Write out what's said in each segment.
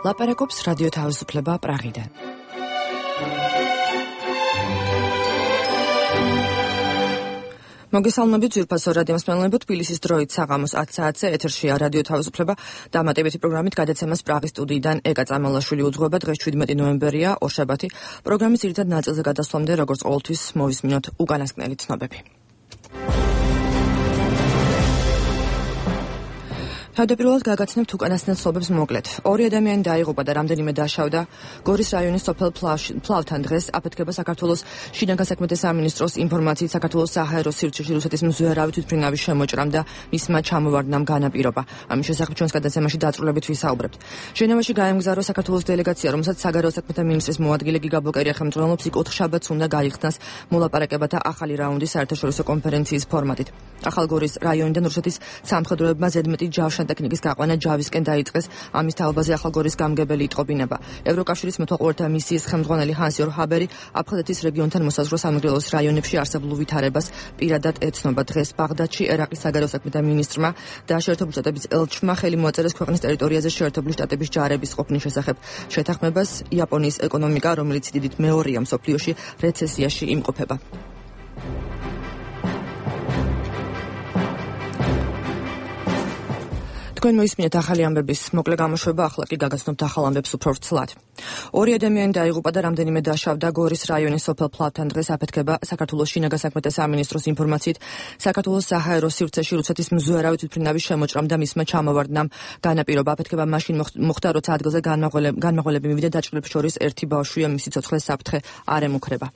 ლაპარაკობს რადიო თავისუფლება პრაღიდან. მოგესალმებით ძვირფასო რადიო მსმენელებო, თბილისის დროით საღამოს 10 საათზე ეთერშია რადიო თავისუფლება დამატებითი პროგრამით გადაცემას პრაღის სტუდიიდან ეკა წამალაშვილი უძღვება. დღეს 17 ნოემბერია, ორშაბათი. პროგრამის ძირითად ნაწილზე გადასვლამდე, როგორც ყოველთვის, მოვისმინოთ უკანასკნელი ცნობები. თავდაპირველად გაგაცნობთ უკანასკნელ ცნობებს მოკლედ. 2 ადამიანი დაიღუპა და რამდენიმე დაშავდა გორის რაიონის სოფელ ფლავთან. დღეს აფეთქება საქართველოს შინაგან საქმეთა სამინისტროს ინფორმაციით საქართველოს საჰაერო სივრცეში რუსეთის მზვერავი თვითმფრინავის შემოჭრამ და მისმა ჩამოვარდნამ განაპირობა. ამის შესახებ ჩვენს გადაცემაში დაწვრილებით ვისაუბრებთ. ჟენევაში გაემგზავრა საქართველოს დელეგაცია, რომელსაც საგარეო საქმეთა მინისტრის მოადგილე გიგა ბოკერია ხელმძღვანელობს. იქ 4 შაბათს უნდა გაიხსნას მოლაპარაკებათა ახალი რაუნდი საერთაშორისო კონფერენციის ფორმატით. ახალგორის რაიონიდან რუსეთის სამხედროებმა ზედმეტი ტექნიკის გაყვანა ჯავისკენ დაიწყეს. ამის თაობაზე ახალგორის გამგებელი იტყობინება. ევროკავშირის მეთვალყურეთა მისიის ხელმძღვანელი ჰანს-იორგ ჰაბერი აფხაზეთის რეგიონთან მოსაზღვრე სამეგრელოს რაიონებში არსებულ ვითარებას პირადად ეცნობა. დღეს ბაღდადში ერაყის საგარეო საქმეთა მინისტრმა და შეერთებული შტატების ელჩმა ხელი მოაწერეს ქვეყნის ტერიტორიაზე შეერთებული შტატების ჯარების ყოფნის შესახებ შეთანხმებას. იაპონიის ეკონომიკა, რომელიც დიდით მეორეა მსოფლიოში, რეცესიაში იმყოფება. თქვენ მოისმინეთ ახალი ამბების მოკლე გამოშვება, ახლა კი გაგაცნობთ ახალ ამბებს უფრო ვრცლად. 2 ადამიანი დაიღუპა და რამდენიმე დაშავდა გორის რაიონის სოფელ ფლავთან. დღეს აფეთქება საქართველოს შინაგან საქმეთა სამინისტროს ინფორმაციით საქართველოს საჰაერო სივრცეში რუსეთის მზვერავი თვითმფრინავის შემოჭრამ და მისმა ჩამოვარდნამ განაპირობა. აფეთქება მაშინ მოხდა, როცა ადგილზე განმაღოლები მივიდა დაჭრილებს შორის ერთი ბავშვია, მისი ცოცხლე საფრთხე არ ემუქრება.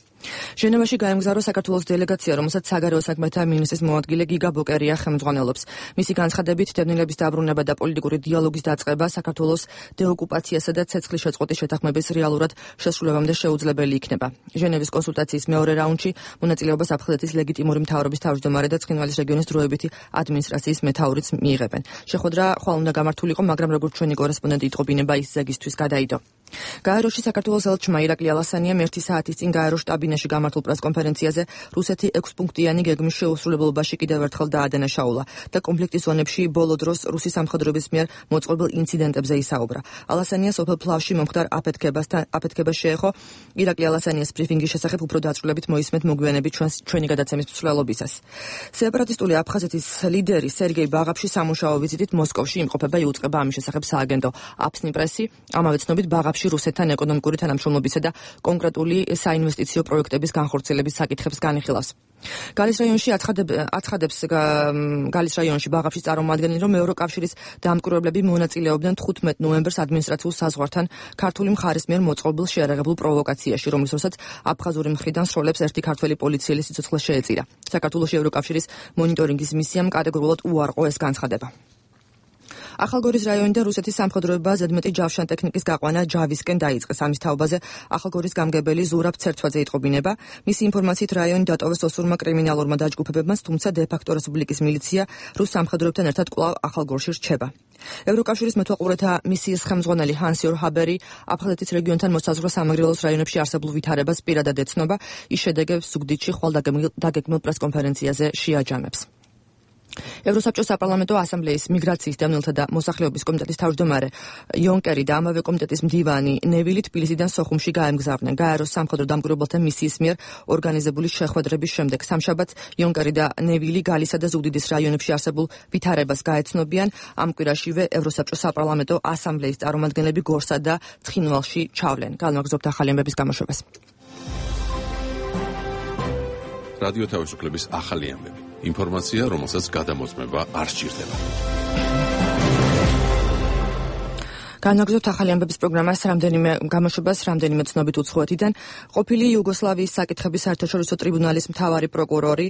ჟენევაში გაემგზავრა საქართველოს დელეგაცია, რომელსაც საგარეო საქმეთა მინისტრის მოადგილე გიგა ბოკერია ხელმძღვანელობს. მისი განცხადებით, დევნილების დაბრუნება და პოლიტიკური დიალოგის დაწყება საქართველოს დეოკუპაციასა და ცეცხლის შეწყვეტის შეთანხმების რეალურად შესრულებამდე შეუძლებელი იქნება. ჟენევის კონსულტაციის მეორე რაუნდში მონაწილეობას აფხაზეთის ლეგიტიმური მთავრობის თავმჯდომარე და ცხინვალის რეგიონის დროებითი ადმინისტრაციის მეთაურიც მიიღებენ. შეხვედრა ხვალ უნდა გამართულიყო, მაგრამ როგორც ჩვენი კორესპონდენტი იტყობინება, ის ზეგისთვის გადაიდო. გაეროში საქართველოს ელჩმა ირაკლი ალასანიამ 1 საათის წინ გაერო შტაბინაში გამართულ პრესკონფერენციაზე რუსეთი 6 პუნქტიანი გეგმის შეუსრულებლობაში კიდევ ერთხელ დაადანაშაულა და კონფლიქტის ზონებში ბოლო დროს რუსის სამხედროების მიერ მოწყობილ ინციდენტებზე ისაუბრა. ალასანია სოფელ ფლავში მომხდარ აფეთქებას შეეხო. ირაკლი ალასანიას ბრიფინგის შესახებ უფრო დაწვრილებით მოისმენთ მოგვიანებით ჩვენი გადაცემის მსვლელობისას. სეპარატისტული აფხაზეთის ლიდერი სერგეი ბაღაფში სამუშაო ვიზიტით მოსკოვში იმყოფება, იუწყება ამის შესახებ სააგენტო აფსნი პრესი. ამავე ცნობით ბაღაფში რუსეთთან ეკონომიკური თანამშრომლობისა და კონკრეტული საინვესტიციო პროექტების განხორციელების საკითხებს განიხილავს. გალის რაიონში ბაღაფში წარმოადგენენ, რომ ევროკავშირის დამკვირვებლები მონაწილეობდნენ 15 ნოემბერს ადმინისტრაციულ საზღვართან ქართული მხარის მიერ მოწყობილ შეერაღებულ პროვოკაციაში, რომლის დროსაც აფხაზური მხრიდან სროლებს ერთი ქართველი პოლიციელი სიცოცხლე შეეწირა. საქართველოს ევროკავშირის მონიტორინგის მისიამ კატეგორიულად უარყო ეს განცხადება. ახალგორის რაიონიდან რუსეთის სამხედროებმა ზედმეტი ჯავშანტექნიკის გაყვანა ჯავისკენ დაიწყეს. ამის თაობაზე ახალგორის გამგებელი ზურაბ ცერცვაძე იტყობინება. მისი ინფორმაციით რაიონი დატოვეს ოსურმა კრიმინალურმა დაჯგუფებებმა, თუმცა დე-ფაქტო რესპუბლიკის მილიცია რუს სამხედროებთან ერთად კვლავ ახალგორში რჩება. ევროკავშირის მეთვალყურეთა მისიის ხელმძღვანელი ჰანს-იორგ ჰაბერი აფხაზეთის რეგიონთან მოსაზღვრე სამეგრელოს რაიონებში არსებულ ვითარებას პირადად ეცნობა. ის შედეგებს ზუგდიდში ხვალ დაგეგმილ პრესკონფერენციაზე შეაჯამებს. ევროსაბჭოს საპარლამენტო ასამბლეის მიგრაციის, დევნილთა და მოსახლეობის კომიტეტის თავმჯდომარე იონკერი და ამავე კომიტეტის მდივანი ნევილი თბილისიდან სოხუმში გაემგზავრნენ. გაეროს სამხედრო დამკვირვებელთა მისიის მიერ ორგანიზებული შეხვედრების შემდეგ სამშაბათს იონკერი და ნევილი გალისა და ზუგდიდის რაიონებში არსებულ ვითარებას გაეცნობიან. ამ კვირაშივე ევროსაბჭოს საპარლამენტო ასამბლეის წარმომადგენლები გორსა და ცხინვალში ჩავლენ. განვაგრძობთ ახალი ამბების გამოშვებას. რადიო თავისუფლების ახალი ამბები. ინფორმაცია, რომელსაც გადამოწმება არ სჭირდება. განვაგრძობთ ახალი ამბების პროგრამას, რამდენიმე ცნობით უცხოეთიდან. ყოფილი იუგოსლავიის საკითხების საერთაშორისო ტრიბუნალის მთავარი პროკურორი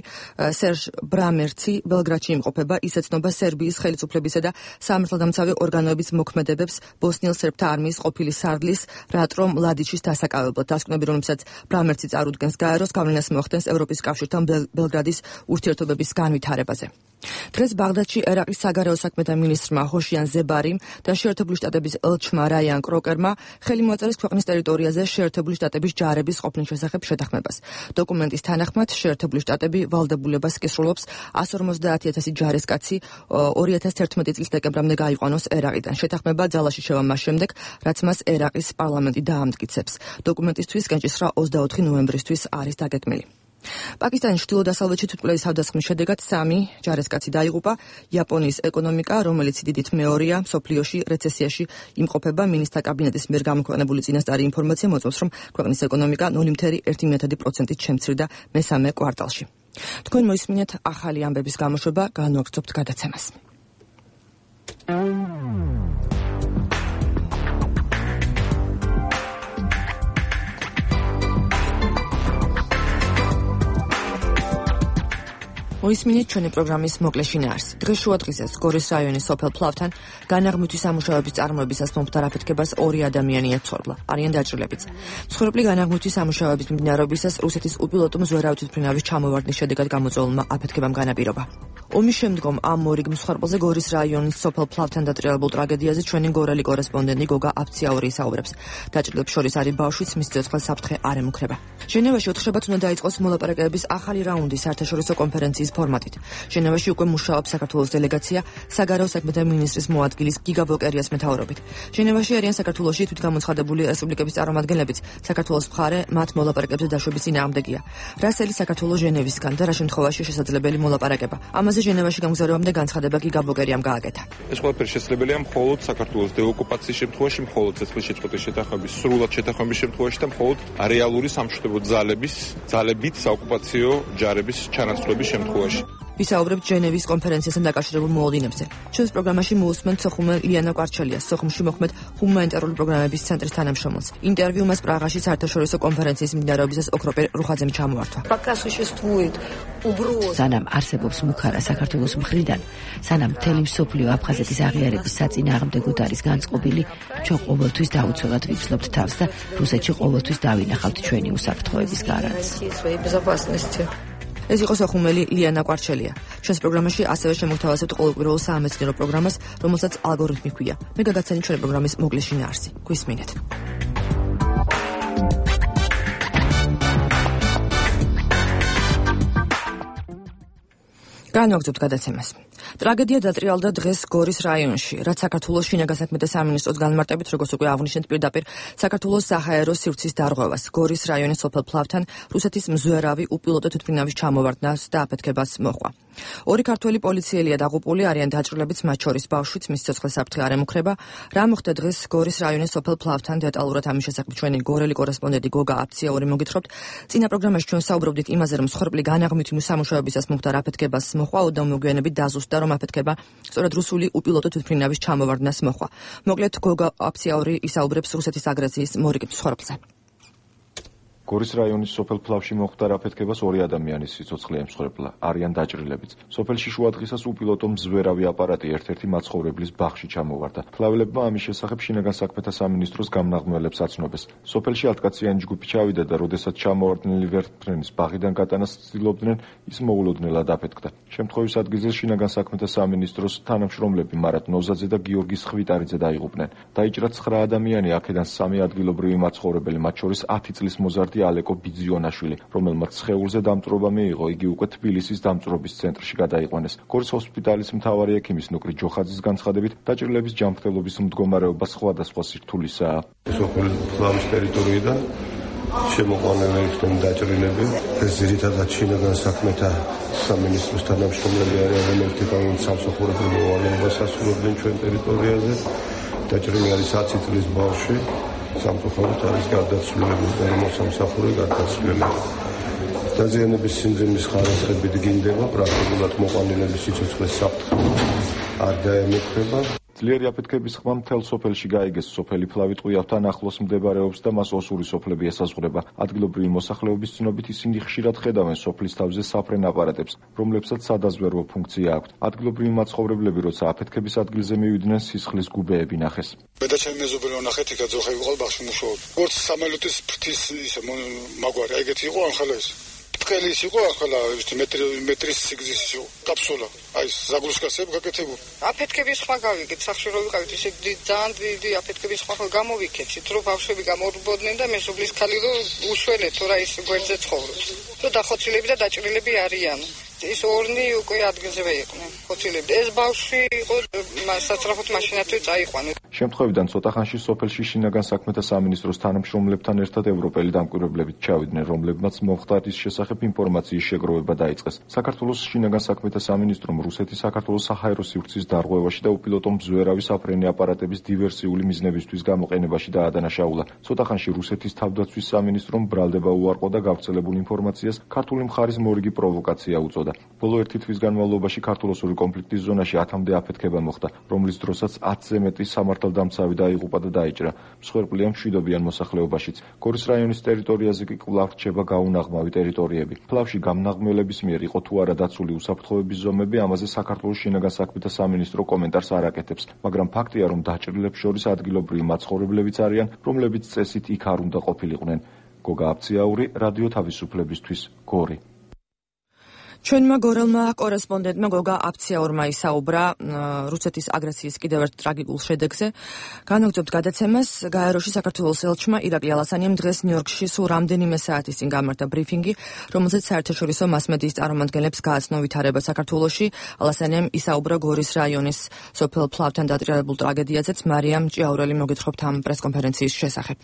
სერჟ ბრამერცი ბელგრადში იმყოფება. ის ეცნობა სერბიის ხელისუფლებისა და სამართალდამცავი ორგანოების მოქმედებებს ბოსნიელ სერბთა არმიის ყოფილი სარდლის რატრო მლადიჩის დასაკავებლად. დასკვნები, რომლებსაც ბრამერცი წარუდგენს გაეროს, გავლენას მოახდენს ევროპის კავშირთან ბელგრადის ურთიერთობების განვითარებაზე. დღეს ბაღდადში ერაყის საგარეო საქმეთა მინისტრმა ჰოშიან ზებარიმ და შეერთებული შტატების ელჩმა რაიან კროკერმა ხელი მოაწერეს ქვეყნის ტერიტორიაზე შეერთებული შტატების ჯარების ყოფნის შესახებ შეთანხმებას. დოკუმენტის თანახმად შეერთებული შტატები ვალდებულებას კისრულობს 150,000 ჯარისკაცი 2011 წლის დეკემბრამდე გაიყვანოს ერაყიდან. შეთანხმება ძალაში შევა მას შემდეგ, რაც მას ერაყის პარლამენტი დაამტკიცებს. დოკუმენტისთვის კენჭისყრა 24 ნოემბრისთვის არის დაგეგმილი. პაკისტანის ჩრდილო-დასავლეთში თვითმკვლელის თავდასხმის შედეგად 3 ჯარისკაცი დაიღუპა. იაპონიის ეკონომიკა, რომელიც დიდით მეორეა მსოფლიოში, რეცესიაში იმყოფება. მინისტრთა კაბინეტის მიერ გამოქვეყნებული წინასწარი ინფორმაცია მოწმობს, რომ ქვეყნის ეკონომიკა 0.1%-ით შემცირდა მესამე კვარტალში. თქვენ მოისმინეთ ახალი ამბების გამოშვება, განვაგრძობთ გადაცემას. მოისმინეთ ჩვენი პროგრამის მოკლე შინაარსი. დღეს შუადღისას გორის რაიონის სოფელ ფლავთან განაღმვითის სამუშაოების წარმოებისას მომხდარ აფეთქებას 2 ადამიანი ეცორბლა. არიან დაჭრილებიც. მსხვერპლი განაღმვითის სამუშაოების მიმდინარეობისას რუსეთის უპილოტო მზვერავი თვითმფრინავის ჩამოვარდნის შედეგად გამოწვეულმა აფეთქებამ განაპირობა. ომის შემდგომ ამ მორიგ მსხვერპლზე გორის რაიონის სოფელ ფლავთან დატრიალებულ ტრაგედიაზე ჩვენი გორელი კორესპონდენტი გოგა აფციაური ისაუბრებს. დაჭრილებს შორის არის ბავშვიც, მის ცოცხალ საფრთხე არ ემუქრება. ჟენევაში ოთხშაბათს უნდა დაიწყოს მოლაპარაკებების ახალი რაუნდი საერთაშორისო კონფერენციის ფორმატით. ჟენევაში უკვე მუშაობს საქართველოს დელეგაცია საგარეო საქმეთა მინისტრის მოადგილის გიგა ბოკერიას მეთაურობით. ჟენევაში არიან საქართველოში თვითგამოცხადებული რესპუბლიკების წარმომადგენლებიც. საქართველოს მხარე მათ მოლაპარაკებზე დაშვების წინააღმდეგია. რასელი საქართველოს ჟენევისგან და რა შემთხვევაში შესაძლებელი მოლაპარაკება. ამაზე ჟენევაში გამგზავრებამდე განცხადება გიგა ბოკერიამ გააკეთა. ეს ყველაფერი შესაძლებელია მხოლოდ საქართველოს დეოკუპაციის შემთხვევაში, მხოლოდ ცეცხლშეწყვეტის შეთანხმების სრულად შეთანხმების შემთხვევაში და მხოლოდ რეალური სამშვიდობო ძალებით საოკუპაციო ჯარების ჩანაცვლების შემთხვევაში. ვისაუბრებთ ჟენევის კონფერენციასთან დაკავშირებულ მოლოდინებზე. ჩვენს პროგრამაში მოусმენთ სოხუმე ლიანა კვარჩელიას, სოხუმში მოხმეთ ჰუმანიტარული პროგრამების ცენტრის თანამშრომელს. ინტერვიუ მას პრაღაში საერთაშორისო კონფერენციის მიმდინარეობისას ოქროპერ რუხაძემ ჩამოართვა. სანამ არსებობს მუქარა საქართველოს მხრიდან, სანამ მთელი მსოფლიო აფხაზეთის აღიარების საწინააღმდეგოდ არის განწყობილი, ჩვენ ყოველთვის დაუცველად ვიცნობთ თავს და რუსეთში ყოველთვის დავინახავთ ჩვენი უსაფრთხოების გარანტს. ეს იყო სოხუმელი ლიანა კვარჩელია. ჩვენს პროგრამაში ასევე შემოგთავაზებთ ყოველკვირეულ საამეცნიერო პროგრამას, რომელსაც ალგორითმი ჰქვია. მე გაგაცანით ჩვენი პროგრამის მოკლე შინაარსი. გვისმინეთ. განვაგრძობთ გადაცემას. ტრაგედია დატრიალდა დღეს გორის რაიონში, რაც საქართველოს შინაგან საქმეთა სამინისტროს განმარტებით, როგორც უკვე აღნიშნეთ, პირდაპირ საქართველოს საჰაერო სივრცის დარღვევას, გორის რაიონის სოფელ ფლავთან რუსეთის მზვერავი უპილოტო თვითმფრინავის ჩამოვარდნას და აფეთქებას მოჰყვა. 2 ქართველი პოლიციელია დაღუპული, არიან დაჭრილებიც, მათ შორის ბავშვიც, მის ცოცხალ საფრთხე არ ემუქრება. რა მოხდა დღეს გორის რაიონის სოფელ ფლავთან? დეტალურად ამის შესახებ ჩვენი გორელი კორესპონდენტი გოგა აფციაური მოგითხრობთ. წინა პროგრამაში ჩვენ საუბრობდით იმაზე, რომ მსხვერპლი განაღმვითი სამუშაოებისას მომხდარ აფეთქებას მოჰყვა, უდამოგვიანებით დაზუსტდა, რომ აფეთქება სწორედ რუსული უპილოტო თვითმფრინავის ჩამოვარდნას მოჰყვა. მოკლედ გოგა აფციაური ისაუბრებს რუსეთის აგრესიის მორიგ მსხვერპლზე. გორის რაიონის სოფელ ფლავში მომხდარ აფეთქებას 2 ადამიანის სიცოცხლე ემსხვერპლა, არიან დაჭრილებიც. სოფელში შუადღისას უპილოტო მზვერავი აპარატი ერთ-ერთი მაცხოვრებლის ბაღში ჩამოვარდა. ფლაველებმა ამის შესახებ შინაგან საქმეთა სამინისტროს გამნაღმველებს აცნობეს. სოფელში 10 კაციანი ჯგუფი ჩავიდა და როდესაც ჩამოვარდნილი ვერტმფრენის ბაღიდან გატანას ცდილობდნენ, ის მოულოდნელად აფეთქდა. შემთხვევის ადგილზე შინაგან საქმეთა სამინისტროს თანამშრომლები მარატ ნოზაძე და გიორგი სხვიტარიძე დაიღუპნენ. დაიჭრა 9 ადამიანი, აქედან 3 ადგილობრივი მაცხოვრებელი, მათ შორის 10 წლის მოზარდი ალეკო ბიძიონაშვილი, რომელმაც სხეულზე დამწვრობა მიიღო, იგი უკვე თბილისის დამწვრობის ცენტრში გადაიყვანეს. გორის ჰოსპიტალის მთავარი ექიმის ნუკრი ჯოხაძის განცხადებით, დაჭრილების ჯანმრთელობის მდგომარეობა სხვადასხვა სირთულისაა. სოფელ ფლავის ტერიტორიიდან შემოყვანილი იქნენ დაჭრილები. ეს ძირითადად შინაგან საქმეთა სამინისტროს თანამშრომლები არიან, რომლებიც სამსახურებრივ მოვალეობას ასრულებდნენ ჩვენ ტერიტორიაზე. დაჭრილი არის 10 წლის ბავშვი. სამწუხაროდ არის გარდაცვლილები და მოსამსახურე გარდაცვლილი. დაზიანების სიმძიმის ხარისხები დგინდება, პრაქტიკულად მოყვანილების სიცოცხლის საფრთხე არ დაემუქრება. ძლიერი აფეთქების ხმა მთელ სოფელში გაიგეს. სოფელი ფლავი ტყუიავთან ახლოს მდებარეობს და მას ოსური სოფლები ესაზღვრება. ადგილობრივი მოსახლეობის ცნობით ისინი ხშირად ხედავენ სოფლის თავზე საფრენ აპარატებს, რომლებსაც სადაზვერვო ფუნქცია აქვთ. ადგილობრივი მაცხოვრებლები, როცა აფეთქების ადგილზე მივიდნენ, სისხლის გუბეები ნახეს. მე და ჩემი მეზობელი ვნახეთ, იქ ძოხები ყოლ ბაღში მუშაობ. როგორც სამალუტის ფრთის ისე მაგვარი, ეგეთი იყო ახლა ეს. ბრტყელი ის იყო ახლა მეტრის სიგრძის იყო კაფსულა. აი ზაგლუსკასები გაკეთებული. აფეთქების სხვა გავიგეთ, სახში რო ვიყავით ისე ძალიან დიდი აფეთქების სხვა გამოვიქეცით, რომ ბავშვები გამორბოდნენ და მეზობლის ქალი რო უშველეთ, რა ის გვერდზე ცხოვრობს. რომ დახოცილები და დაჭრილები არიან. ის ორნი უკვე ადგილზევე იყვნენ. ხოცილები. ეს ბავშვი იყო სასწრაფოდ მაშინათვე წაიყვანეს. შემთხვევიდან ცოტა ხანში სოფელში შინაგან საქმეთა სამინისტროს თანამშრომლებთან ერთად ევროპელი დამკვირვებლებით ჩავიდნენ, რომლებმაც მომხდარის შესახებ ინფორმაციის შეგროვება დაიწყეს. საქართველოს შინაგან საქმეთა სამინისტრომ რუსეთის საქართველოს საჰაერო სივრცის დარღვევაში და უპილოტო მზვერავი საფრენი აპარატების დივერსიული მიზნებისთვის გამოყენებაში დაადანაშაულა. ცოტა ხანში რუსეთის თავდაცვის სამინისტრომ ბრალდება უარყო და გავრცელებულ ინფორმაციას ქართული მხარის მორიგი პროვოკაცია უწოდა. ბოლო ერთი თვის განმავლობაში ქართულ-ოსური კონფლიქტის ზონაში 10-მდე აფეთქება მოხდა, რომლის დროსაც 10-ზე მეტი სამართალდამცავი დაიღუპა და დაიჭრა. მსხვერპლია მშვიდობიან მოსახლეობაშიც. გორის რაიონის ტერიტორიაზე კი კვლავ რჩება გაუნაღმავი ტერიტორიები. ფლავში გამნაღმველების მიერ იყო თუ არა დაცული უსაფრთხოების ზომები, ამაზე საქართველოს შინაგან საქმეთა სამინისტრო კომენტარს არ აკეთებს, მაგრამ ფაქტია, რომ დაჭრილებს შორის ადგილობრივი მაცხოვრებლებიც არიან, რომლებიც წესით იქ არ უნდა ყოფილიყვნენ. გოგა აბციაური, რადიო თავისუფლებისთვის, გორი. ჩვენმა გორელმა კორესპონდენტმა გოგა აბციაურმა ისაუბრა რუსეთის აგრესიის კიდევ ერთ ტრაგიკულ შედეგზე. განაგრძობთ გადაცემას, გაეროში საქართველოს ელჩმა ირაკლი ალასანიამ დღეს ნიუ-იორკში სულ რამდენიმე საათის წინ გამართა ბრიფინგი, რომელზეც საერთაშორისო მასმედიის წარმომადგენლებს გააცნო ვითარება საქართველოში. ალასანიამ ისაუბრა გორის რაიონის სოფელ ფლავთან დატრიალებულ ტრაგედიაზეც. მარიამ ჭიაურელი მოგეთხრობთ ამ პრესკონფერენციის შესახებ.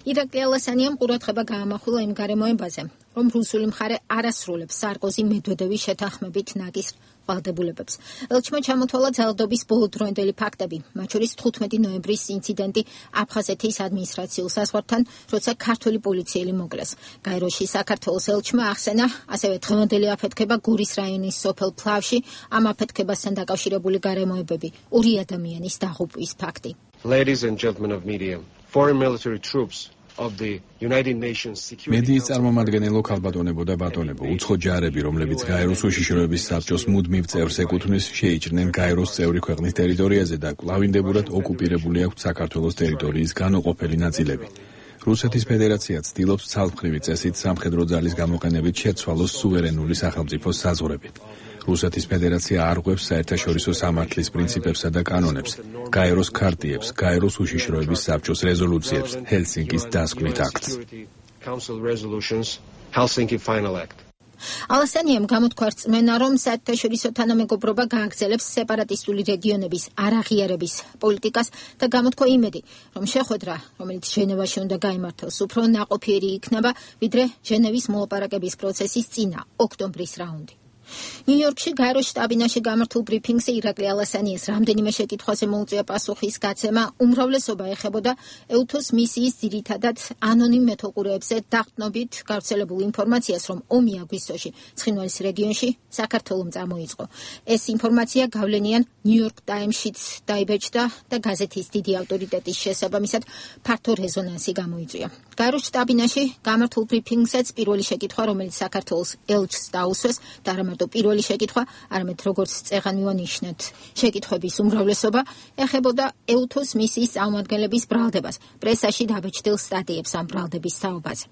ირაკლი ალასანიამ ყურადღება გაამახვილა იმ გარემოებაზე, რომ რუსული მხარე არ ასრულებს სარკოზი მედვედევის შეთანხმებით ნაკის ვალდებულებებს. ელჩმა ჩამოთვალა ძალადობის ბოლოდროინდელი ფაქტები, მათ შორის 15 ნოემბრის ინციდენტი აფხაზეთის ადმინისტრაციულ საზღვართან, როცა ქართული პოლიციელი მოკლეს. გაეროში საქართველოს ელჩმა ახსენა ასევე დღევანდელი აფეთქება გორის რაიონის სოფელ ფლავში, ამ აფეთქებასთან დაკავშირებული გარემოებები, 2 ადამიანის დაღუპვის ფაქტი. Ladies and gentlemen of media, foreign military troops of the United Nations Security მედიის წარმომადგენელო ქალბატონებო და ბატონებო, უცხო ჯარები, რომლებიც გაეროს უშიშროების საბჭოს მუდმივ წევრს ეკუთვნის, შეიჭრნენ გაეროს წევრი ქვეყნის ტერიტორიაზე და კვლავინდებურად ოკუპირებული აქვთ საქართველოს ტერიტორიის განუყოფელი ნაწილები. რუსეთის ფედერაცია ცდილობს ცალმხრივი წესით სამხედრო ძალის გამოყენებით შეცვალოს სუვერენული სახელმწიფოს საზღვრები. რუსეთის ფედერაცია არღვევს საერთაშორისო სამართლის პრინციპებსა და კანონებს, გაეროს ქარტიებს, გაეროს უშიშროების საბჭოს რეზოლუციებს, ჰელსინკის დასკვნით აქტს. ალასანიამ გამოთქვა რწმენა, რომ საერთაშორისო თანამეგობრობა გააგრძელებს სეპარატისტული რეგიონების არაღიარების პოლიტიკას და გამოთქვა იმედი, რომ შეხვედრა, რომელიც ჟენევაში უნდა გაიმართოს, უფრო ნაყოფიერი იქნება, ვიდრე ჟენევის მოლაპარაკების პროცესის წინა, ოქტომბრის რაუნდი. ნიუ-იორკში გაეროს შტაბ-ბინაში გამართულ ბრიფინგზე ირაკლი ალასანიას რამდენიმე შეკითხვაზე მოუწია პასუხის გაცემა, უმრავლესობა ეხებოდა ეუთოს მისიის ძირითადად ანონიმ მეთოყურეებზე დაყრდნობით გავრცელებულ ინფორმაციას, რომ ომი აგვისტოში ცხინვალის რეგიონში საქართველომ წამოიწყო. ეს ინფორმაცია გავლენიან ნიუ-იორკ ტაიმსშიც დაიბეჭდა და გაზეთის დიდი ავტორიტეტის შესაბამისად ფართო რეზონანსი გამოიწვია. გაეროს შტაბ-ბინაში გამართულ ბრიფინგზეც პირველი შეკითხვა, რომელიც საქართველოს ელჩს დაუსვეს და პირველი შეკითხვა, არამედ როგორც წეღან მივანიშნეთ, შეკითხვების უმრავლესობა ეხებოდა ეუთოს მისიის წარმომადგენლების ბრალდებას, პრესაში დაბეჭდილ სტატიებს ამ ბრალდების თაობაზე.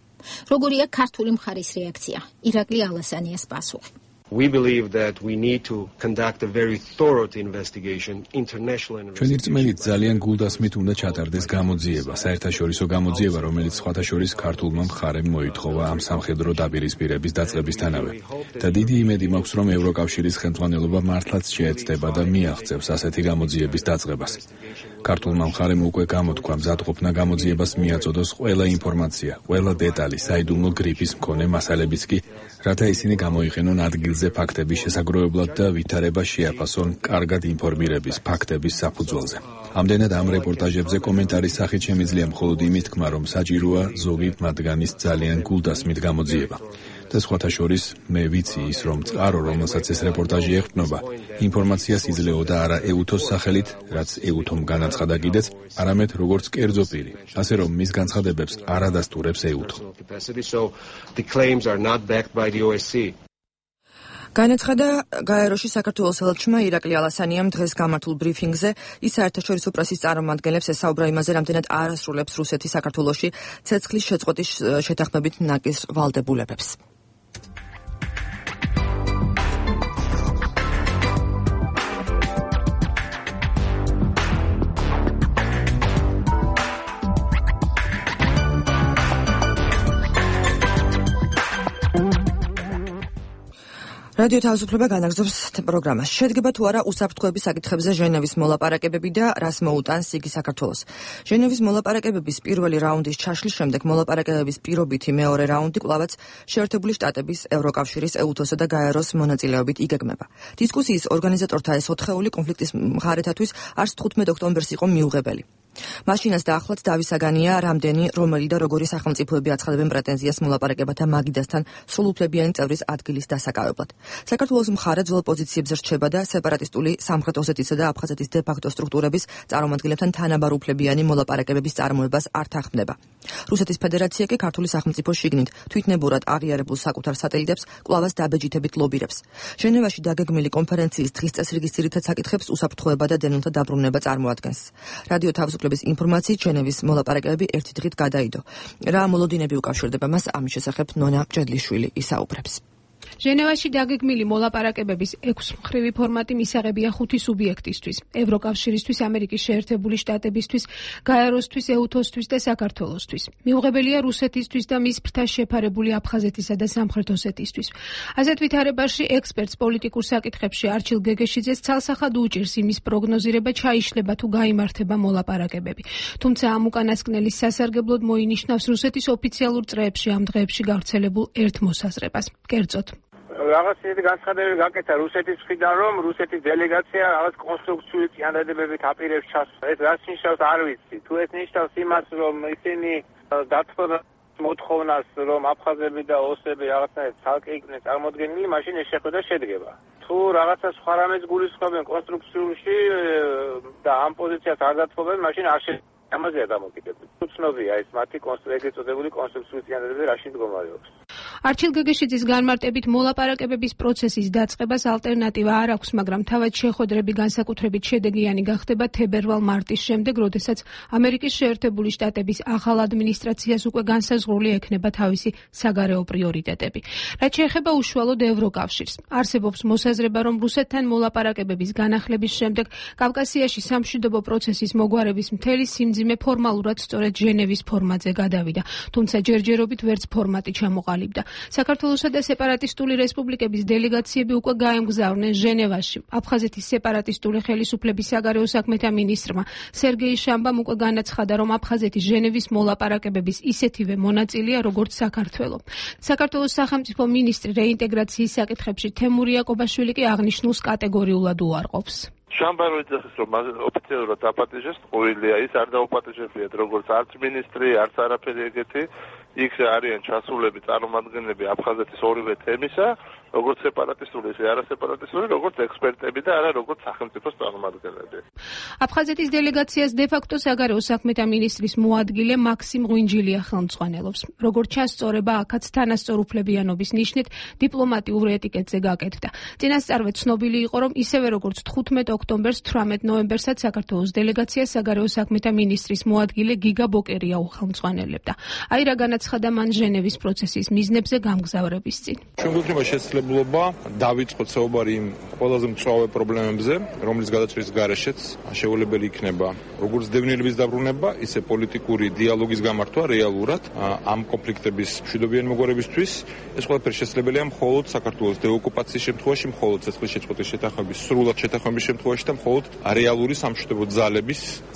როგორია ქართული მხარის რეაქცია? ირაკლი ალასანიას პასუხი. We believe that we need to conduct a very thorough investigation, international investigation. ჩვენი რწმენით ძალიან გულდასმით უნდა ჩატარდეს გამოძიება, საერთაშორისო გამოძიება, რომელიც სხვათა შორის ქართულმა მხარემ მოითხოვა ამ სამხედრო დაპირისპირების დაწყებისთანავე. და დიდი იმედი მაქვს, რომ ევროკავშირის ხელმძღვანელობა მართლაც შეეცდება და მიაღწევს ასეთი გამოძიების დაწყებას. ქართულმა მხარემ უკვე გამოთქვა მზადყოფნა გამოძიებას მიაწოდოს ყველა ინფორმაცია, ყველა დეტალი, საიდუმლო გრიფის მქონე მასალებიც კი, რათა ისინი გამოიყენონ ადგილზე ფაქტების შესაგროვებლად და ვითარება შეაფასონ კარგად ინფორმირების ფაქტების საფუძველზე. ამდენად ამ რეპორტაჟებზე კომენტარის სახით შემიძლია მხოლოდ იმით თქმა, რომ საჭიროა ზოგი მათგანის ძალიან გულდასმით გამოძიება. და სხვათა შორის მე ვიცი ის, რომ წყარო, რომელსაც ეს რეპორტაჟი ეყრდნობა, ინფორმაციას იძლეოდა არა ეუთოს სახელით, რაც ეუთომ განაცხადა კიდეც, არამედ როგორც კერძო პირი, ასე რომ მის განცხადებებს არ ადასტურებს ეუთო. განაცხადა გაეროში საქართველოს ელჩმა ირაკლი ალასანიამ დღეს გამართულ ბრიფინგზე. ის საერთაშორისო პრესის წარმომადგენლებს ესაუბრა იმაზე, რამდენად არ ასრულებს რუსეთი საქართველოში ცეცხლის შეწყვეტის შეთანხმებით ნაკის ვალდებულებებს. რადიო თავისუფლება განაგრძობს პროგრამას. შედგება თუ არა უსაფრთხოების საკითხებზე ჟენევის მოლაპარაკებები და რას მოუტანს იგი საქართველოს. ჟენევის მოლაპარაკებების პირველი რაუნდის ჩაშლის შემდეგ მოლაპარაკებების პირობითი მეორე რაუნდი კვლავაც შეერთებული შტატების, ევროკავშირის, EUTOS-ა და გაეროს მონაწილეობით იგეგმება. დისკუსიის ორგანიზატორთა ეს ოთხეული კონფლიქტის მხარეთათვის არც 15 ოქტომბერს იყო მიუღებელი. მაშინაც და ახლაც დავისაგანია რამდენი, რომელი და როგორი სახელმწიფოები აცხადებენ პრეტენზიას მოლაპარაკებათა მაგიდასთან სრულუფლებიანი წევრის ადგილის დასაკავებლად. საქართველოს მხარე ძველ პოზიციებზე რჩება და სეპარატისტული სამხრეთ ოსეთისა და აფხაზეთის დე-ფაქტო სტრუქტურების წარმომადგენლებთან თანაბარუფლებიანი მოლაპარაკებების წარმოებას არ თანხმდება. რუსეთის ფედერაცია კი ქართული სახელმწიფო შიგნით თვითნებურად აღიარებულ საკუთარ სატელიტებს კვლავაც დაბეჯითებით ლობირებს. ჟენევაში დაგეგმილი კონფერენციის დღის წესრიგის ძირითად საკითხებს უსაფრთხოება და დენილთა დაბრუნება წარმოადგენს. რადიო თავისუფლების ინფორმაციით ჟენევის მოლაპარაკებები ერთი დღით გადაიდო. რა მოლოდინები უკავშირდება მას, ამის შესახებ ნონა ჭედლიშვილი ისაუბრებს. ჟენევაში დაგეგმილი მოლაპარაკებების 6 მხრივი ფორმატი მისაღებია 5 სუბიექტისთვის: ევროკავშირისთვის, ამერიკის შეერთებული შტატებისთვის, გაეროსთვის, EUTOS-თვის და საქართველოსთვის. მიუღებელია რუსეთისთვის და მის ფრთას შეფარებული აფხაზეთისა და სამხრეთ ოსეთისთვის. ასეთ ვითარებაში ექსპერტს პოლიტიკურ საკითხებში არჩილ გეგეშიძეს ცალსახად უჭირს იმის პროგნოზირება, ჩაიშლება თუ გაიმართება მოლაპარაკებები. თუმცა ამ უკანასკნელის სასარგებლოდ მოინიშნავს რუსეთის ოფიციალურ წრეებში ამ დღეებში გავრცელებულ ერთ მოსაზრებას. კერძოდ რაღაც ისეთი განცხადებები გაკეთა რუსეთის მხრიდან, რომ რუსეთის დელეგაცია რაღაც კონსტრუქციული წინადადებებით აპირებს ჩასვლა. ეს რაც ნიშნავს არ ვიცი. თუ ეს ნიშნავს იმას, რომ ისინი დათხოვნა მოთხოვნას, რომ აფხაზები და ოსები რაღაცნაირად ცალკე იქნენ წარმოდგენილი, მაშინ ეს შეხვედრა შედგება. თუ რაღაცა სხვა რამეს გულისხმობენ კონსტრუქციულში და ამ პოზიციას არ დათხოვენ, მაშინ არ შეიძლება ამაზეა დამოკიდებული. თუ ცნობია ეს მათი ეგრეთ წოდებული კონსტრუქციული წინადადებები რაში მდგომარეობს. არჩილ გეგეშიძის განმარტებით მოლაპარაკებების პროცესის დაწყებას ალტერნატივა არ აქვს, მაგრამ თავად შეხვედრები განსაკუთრებით შედეგიანი გახდება თებერვალ-მარტის შემდეგ, როდესაც ამერიკის შეერთებული შტატების ახალ ადმინისტრაციას უკვე განსაზღვრული ექნება თავისი საგარეო პრიორიტეტები. რაც შეეხება უშუალოდ ევროკავშირს, არსებობს მოსაზრება, რომ რუსეთთან მოლაპარაკებების განახლების შემდეგ კავკასიაში სამშვიდობო პროცესის მოგვარების მთელი სიმძიმე ფორმალურად სწორედ ჟენევის ფორმატზე გადავიდა, თუმცა ჯერჯერობით ვერც ფორმატი ჩამოყალიბდა. საქართველოსა და სეპარატისტული რესპუბლიკების დელეგაციები უკვე გაემგზავრნენ ჟენევაში. აფხაზეთის სეპარატისტული ხელისუფლების საგარეო საქმეთა მინისტრმა სერგეი შამბამ უკვე განაცხადა, რომ აფხაზეთი ჟენევის მოლაპარაკებების ისეთივე მონაწილეა, როგორც საქართველო. საქართველოს სახელმწიფო მინისტრი რეინტეგრაციის საკითხებში თემურ იაკობაშვილი კი აღნიშნულს კატეგორიულად უარყოფს. შამბარო იძახის, რომ ოფიციალურად დაპატიჟეს, ყურილია ის არ დაუპატიჟებიათ როგორც არც მინისტრი, არც არაფერი ეგეთი. იქ არიან ჩასულები წარმომადგენლები აფხაზეთის ორივე თემისა, როგორც სეპარატისტული, ისე არასეპარატისტული, როგორც ექსპერტები და არა როგორც სახელმწიფოს წარმომადგენლები. აფხაზეთის დელეგაციას დე-ფაქტო საგარეო საქმეთა მინისტრის მოადგილე მაქსიმ ღვინჯილია ხელმძღვანელობს. როგორც ჩასწორება აქაც თანასწორ უფლებიანობის ნიშნით დიპლომატიურ ეტიკეტზე გაკეთდა. წინასწარვე ცნობილი იყო, რომ ისევე როგორც 15 ოქტომბერს, 18 ნოემბერსაც საქართველოს დელეგაციას საგარეო საქმეთა მინისტრის მოადგილე გიგა ბოკერია უხელმძღვანელებდა. აი რა განაცხადა მან ჟენევის პროცესის მიზნებზე გამგზავრების წინ. შესაძლებლობა დავიწყოთ საუბარი იმ ყველაზე მწვავე პრობლემებზე, რომლის გადაჭრის გარეშეც შეუძლებელი იქნება როგორც დევნილების დაბრუნება, ისე პოლიტიკური დიალოგის გამართვა რეალურად ამ კონფლიქტების მშვიდობიანი მოგვარებისთვის. ეს ყველაფერი შესაძლებელია მხოლოდ საქართველოს დეოკუპაციის შემთხვევაში, მხოლოდ ცეცხლის შეწყვეტის შეთანხმების სრულად შეთანხმების შემთხვევაში და მხოლოდ რეალური სამშვიდობო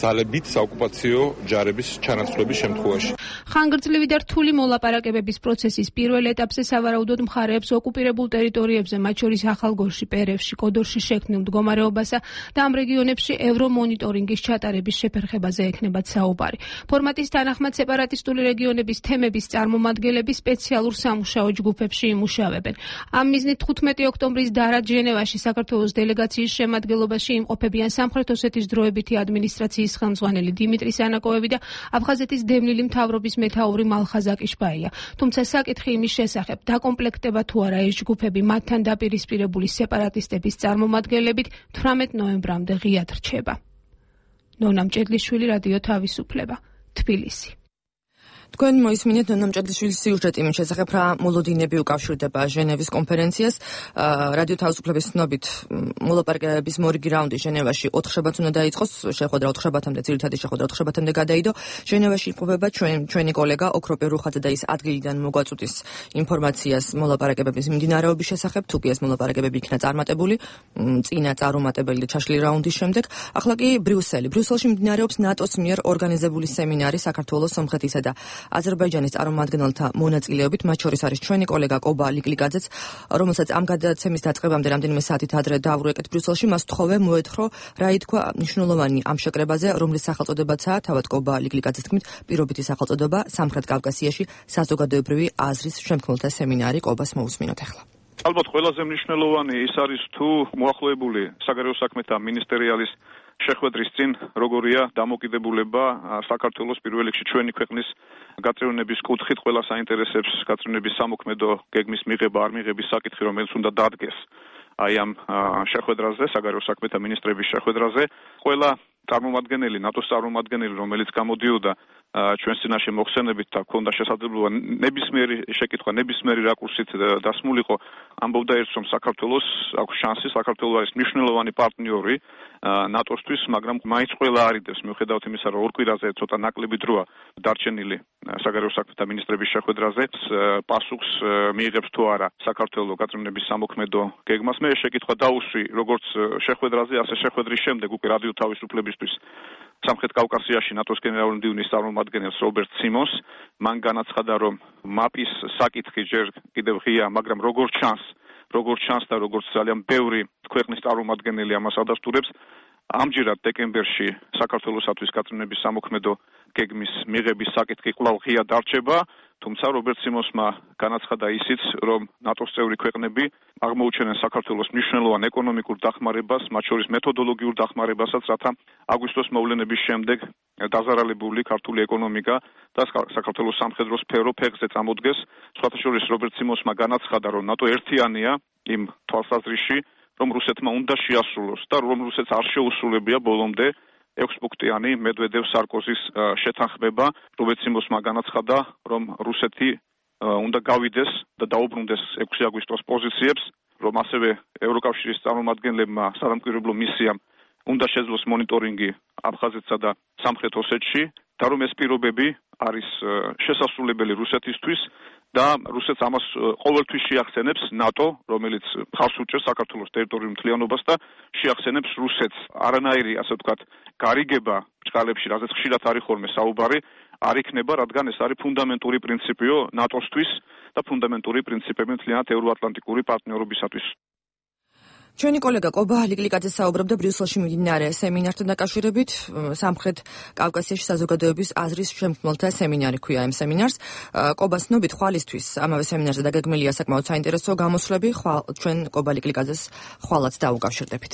ძალებით საოკუპაციო ჯარების ჩანაცვლების შემთხვევაში. ხანგრძლივი და რთული მოლაპარაკებების პროცესის პირველ ეტაპზე სავარაუდოდ მხარეებს ოკუპირებულ ტერიტორიებზე, მათ შორის ახალგორში, პერევში, კოდორში შექმნილ მდგომარეობასა და ამ რეგიონებში ევრომონიტორინგის ჩატარების შეფერხებაზე ექნებათ საუბარი. ფორმატის თანახმად სეპარატისტული რეგიონების თემების წარმომადგენლები სპეციალურ სამუშაო ჯგუფებში იმუშავებენ. ამ მიზნით 15 ოქტომბრის დარად ჟენევაში საქართველოს დელეგაციის შემადგენლობაში იმყოფებიან სამხრეთ ოსეთის დროებითი ადმინისტრაციის ხელმძღვანელი დიმიტრი სანაკოევი და აფხაზეთის დევნილი მთავრობის მეთაური მალხაზ აკიშბაია. თუმცა საკითხი იმის შესახებ, დაკომპლექტება თუ არა ეს ჯგუფები მათთან დაპირისპირებული სეპარატისტების წარმომადგენლებით 18 ნოემბრამდე ღიად რჩება. ნონა ჭედლიშვილი, რადიო თავისუფლება, თბილისი. თქვენ მოისმინეთ ნონა მჭედლიშვილის სიუჟეტი მის შესახებ რა მოლოდინები უკავშირდება ჟენევის კონფერენციას. რადიო თავისუფლების ცნობით მოლაპარაკებების მორიგი რაუნდი ჟენევაში 4 შაბათს უნდა დაიწყოს, შეხვედრა 4 შაბათამდე, ძირითადი შეხვედრა 4 შაბათამდე გადაიდო. ჟენევაში იმყოფება ჩვენი კოლეგა ოქროპე რუხაძე და ის ადგილიდან მოგვაწვდის ინფორმაციას მოლაპარაკებების მიმდინარეობის შესახებ, თუ კი ეს მოლაპარაკებები იქნა წარმატებული, წინა წარუმატებელი და ჩაშლილი რაუნდის შემდეგ. ახლა კი ბრიუსელში მიმდინარეობს ნატოს მიერ ორგანიზებული სემინარი საქართველოს, სომხეთისა და აზერბაიჯანის წარმომადგენელთა მონაწილეობით, მათ შორის არის ჩვენი კოლეგა კობა ლიკლიკაძეც, რომელსაც ამ გადაცემის დაწყებამდე რამდენიმე საათით ადრე დაავრუეკეთ ბრიუსელში. მას თხოვე მოეთხოვა რა ითქვა მნიშვნელოვანი ამ შეკრებაზე, რომლის სახელწოდებაცაა თავად კობა ლიკლიკაძეს თქმით პირობითი სახელწოდება სამხრეთ კავკასიაში საზოგადოებრივი აზრის შემქმნელთა სემინარი. კობას მოусმინოთ ახლა. ალბათ ყველაზე მნიშვნელოვანი ის არის თუ მოახლოებული საგარეო საქმეთა მინისტერიალის შეხვედრის წინ როგორია დამოკიდებულება საქართველოს პირველ რიგში ჩვენი ქვეყნის გაწევრიანების კუთხით ყველა საინტერესებს გაწევრიანების სამოქმედო გეგმის მიღება არ მიღების საკითხი, რომელიც უნდა დადგეს აი ამ შეხვედრაზე, საგარეო საქმეთა მინისტრების შეხვედრაზე. ყველა წარმომადგენელი, ნატოს წარმომადგენელი, რომელიც გამოდიოდა ჩვენს წინაშე მოხსენებით და ქონდა შესაძლებლობა ნებისმიერი შეკითხვა, ნებისმიერი რაკურსით დასმულიყო, ამბობდა ერთს, რომ საქართველოს აქვს შანსი, საქართველოს არის მნიშვნელოვანი პარტნიორი ნატოსთვის, მაგრამ მაინც ყველა არიდებს, მიუხედავად იმისა, რომ ორ კვირაზე ცოტა ნაკლები დროა დარჩენილი საგარეო საქმეთა მინისტრების შეხვედრაზე, პასუხს მიიღებს თუ არა საქართველოს გაწევრიანების სამოქმედო გეგმას. მე შეკითხვა დაუსვი როგორც შეხვედრაზე, ასე შეხვედრის შემდეგ უკვე რადიო თავისუფლებისთვის სამხრეთ კავკასიაში ნატოს გენერალური მდივნის წარმომადგენელს რობერტ სიმონს. მან განაცხადა, რომ მაპის საკითხი ჯერ კიდევ ღია, მაგრამ როგორც ჩანს და როგორც ძალიან ბევრი ქვეყნის წარმომადგენელი ამას ადასტურებს, ამჯერად დეკემბერში საქართველოსათვის გაწევრიანების სამოქმედო გეგმის მიღების საკითხი კვლავ ღია დარჩება, თუმცა რობერტ სიმონსმა განაცხადა ისიც, რომ ნატოს წევრი ქვეყნები აღმოუჩენენ საქართველოს მნიშვნელოვან ეკონომიკურ დახმარებას, მათ შორის მეთოდოლოგიურ დახმარებასაც, რათა აგვისტოს მოვლენების შემდეგ დაზარალებული ქართული ეკონომიკა და საქართველოს სამხედრო სფერო ფეხზე წამოდგეს. სხვათა შორის რობერტ სიმონსმა განაცხადა, რომ ნატო ერთიანია იმ თვალსაზრისში, რომ რუსეთმა უნდა შეასრულოს და რომ რუსეთს არ შეუსრულებია ბოლომდე 6 პუნქტიანი მედვედევ-სარკოზის შეთანხმება. რობერტ სიმონსმა განაცხადა, რომ რუსეთი უნდა გავიდეს და დაუბრუნდეს 6 აგვისტოს პოზიციებს, რომ ასევე ევროკავშირის წარმომადგენლებმა სადამკვირვებლო მისიამ უნდა შეძლოს მონიტორინგი აფხაზეთსა და სამხრეთ ოსეთში და რომ ეს პირობები არის შესასრულებელი რუსეთისთვის და რუსეთს ამას ყოველთვის შეახსენებს ნატო, რომელიც ხავს უჭერს საქართველოს ტერიტორიულ მთლიანობას და შეახსენებს რუსეთს. არანაირი, ასე ვთქვათ, გარიგება ბრჭყალებში, რაზეც ხშირად არის ხოლმე საუბარი, არ იქნება, რადგან ეს არის ფუნდამენტური პრინციპიო ნატოსთვის და ფუნდამენტური პრინციპები მთლიანად ევროატლანტიკური პარტნიორობისათვის. ჩვენი კოლეგა კობა ლიკლიკაძე საუბრობდა ბრიუსელში მიმდინარე სემინართან დაკავშირებით. სამხრეთ კავკასიაში საზოგადოების აზრის შემქმნელთა სემინარი ქვია ამ სემინარს. კობას ცნობით ხვალისთვის ამავე სემინარზე დაგეგმილია საკმაოდ საინტერესო გამოსვლები. ჩვენ კობა ლიკლიკაძეს ხვალაც დაუკავშირდებით.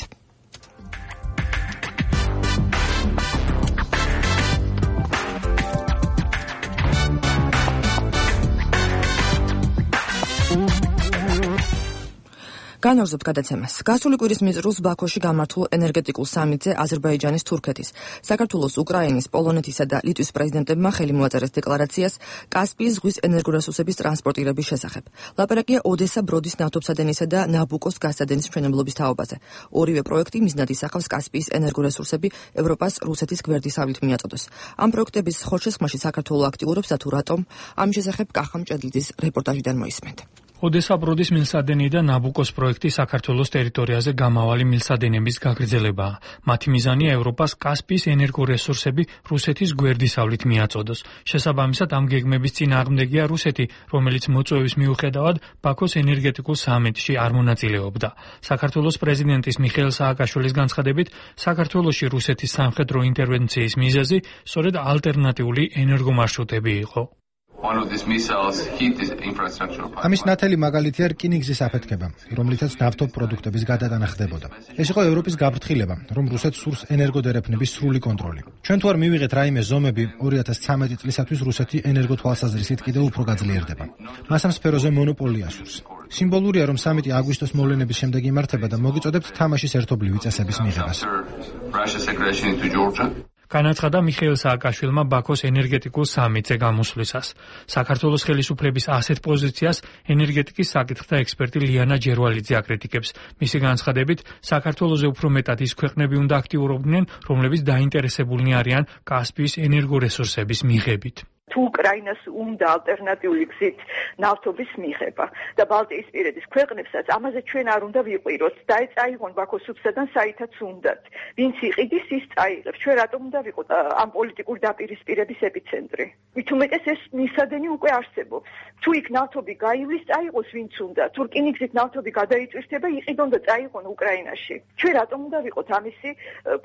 განვაგრძობთ გადაცემას. გასული კვირის მიწრულს ბაქოში გამართულ ენერგეტიკულ სამიტზე აზერბაიჯანის, თურქეთის, საქართველოს, უკრაინის, პოლონეთისა და ლიტვის პრეზიდენტებმა ხელი მოაწერეს დეკლარაციას კასპიის ზღვის ენერგორესურსების ტრანსპორტირების შესახებ. ლაპარაკია ოდესა-ბროდის ნავთობსადენისა და ნაბუკოს გაზსადენის მშენებლობის თაობაზე. ორივე პროექტი მიზნად ისახავს კასპიის ენერგორესურსები ევროპას რუსეთის გვერდისავლით მიაწოდოს. ამ პროექტების ხორჩესხმაში საქართველო აქტიურობს და თუ რატომ, ამის შესახებ კახა მჭედლიძის რეპორტაჟიდან მოისმენთ. ოდესა-ბროდის მილსადენი და ნაბუკოს პროექტი საქართველოს ტერიტორიაზე გამავალი მილსადენების გაგრძელებაა. მათი მიზანია ევროპას კასპიის ენერგორესურსები რუსეთის გვერდისავლით მიაწოდოს. შესაბამისად, ამ გეგმების წინააღმდეგია რუსეთი, რომელიც მოწვევის მიუხედავად ბაქოს ენერგეტიკულ სამიტში არ მონაწილეობდა. საქართველოს პრეზიდენტის მიხეილ სააკაშვილის განცხადებით, საქართველოში რუსეთის სამხედრო ინტერვენციის მიზეზი სწორედ ალტერნატიული ენერგომარშრუტები იყო. ამის ნათელი მაგალითია რკინიგზის აფეთქება, რომლითაც ნავთობ პროდუქტების გადატანა ხდებოდა. ეს იყო ევროპის გაფრთხილება, რომ რუსეთს სურს ენერგოდერეფნების სრული კონტროლი. ჩვენ თუ არ მივიღეთ რაიმე ზომები 2013 წლისათვის რუსეთი ენერგოთვალსაზრისით კიდევ უფრო გაძლიერდება. მას ამ სფეროზე მონოპოლია სურს. სიმბოლურია, რომ სამიტი აგვისტოს მოვლენების შემდეგ იმართება და მოგიწოდებთ თამაშის ერთობლივი წესების მიღებას. განაცხადა მიხეილ სააკაშვილმა ბაქოს ენერგეტიკულ სამიტზე გამოსვლისას. საქართველოს ხელისუფლების ასეთ პოზიციას ენერგეტიკის საკითხთა ექსპერტი ლიანა ჯერვალიძე აკრიტიკებს. მისი განცხადებით, საქართველოზე უფრო მეტად ის ქვეყნები უნდა აქტიურობდნენ, რომლებიც დაინტერესებულნი არიან კასპიის ენერგორესურსების მიღებით. თუ უკრაინას უნდა ალტერნატიული გზით ნავთობის მიღება და ბალტიისპირეთის ქვეყნებსაც ამაზე ჩვენ არ უნდა ვიყვიროთ და წაიღონ ბაქოს სუბსიდიდან საითაც უნდათ. ვინც იყიდის ის წაიღებს. ჩვენ რატომ უნდა ვიყოთ ამ პოლიტიკური დაპირისპირების ეპიცენტრი? მით უმეტეს ეს მისადენი უკვე არსებობს. თუ იქ ნავთობი გაივლის, წაიღოს ვინც უნდა. თუ რკინიგზით ნავთობი გადაიწვირთება, იყიდონ და წაიღონ უკრაინაში. ჩვენ რატომ უნდა ვიყოთ ამისი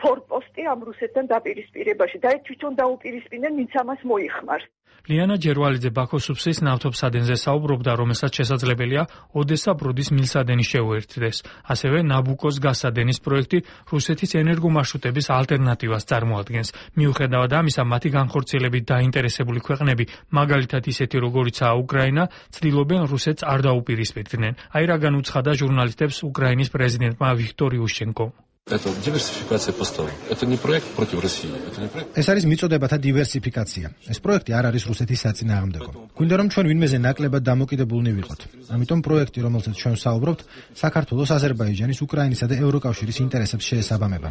ფორპოსტი ამ რუსეთთან დაპირისპირებაში და თვითონ დაუპირისპირდნენ, ვინც ამას მოიხმარს. ლიანა ჯერვალიძე ბაქოს სუბსის ნავთობსადენზე საუბრობდა, რომელსაც შესაძლებელია ოდესა-ბროდის მილსადენი შეუერთდეს. ასევე ნაბუკოს გაზსადენის პროექტი რუსეთის ენერგომარშრუტების ალტერნატივას წარმოადგენს. მიუხედავად ამისა, მათი განხორციელებით დაინტერესებული ქვეყნები, მაგალითად ისეთი როგორიცაა უკრაინა, ცდილობენ რუსეთს არ დაუპირისპირდნენ. აი რაგან უცხადა ჟურნალისტებს უკრაინის პრეზიდენტმა ვიქტორ იუშჩენკო. Это диверсификация поставок. Это не проект против России. Это не проект. ეს არის მიწოდებათა დივერსიფიკაცია. ეს პროექტი არ არის რუსეთის საწინააღმდეგო. გვინდა რომ ჩვენ ვინმეზე ნაკლებად დამოკიდებულნი ვიყოთ. ამიტომ პროექტი, რომელზეც ჩვენ ვსაუბრობთ, საქართველოს, აზერბაიჯანის, უკრაინისა და ევროკავშირის ინტერესებს შეესაბამება.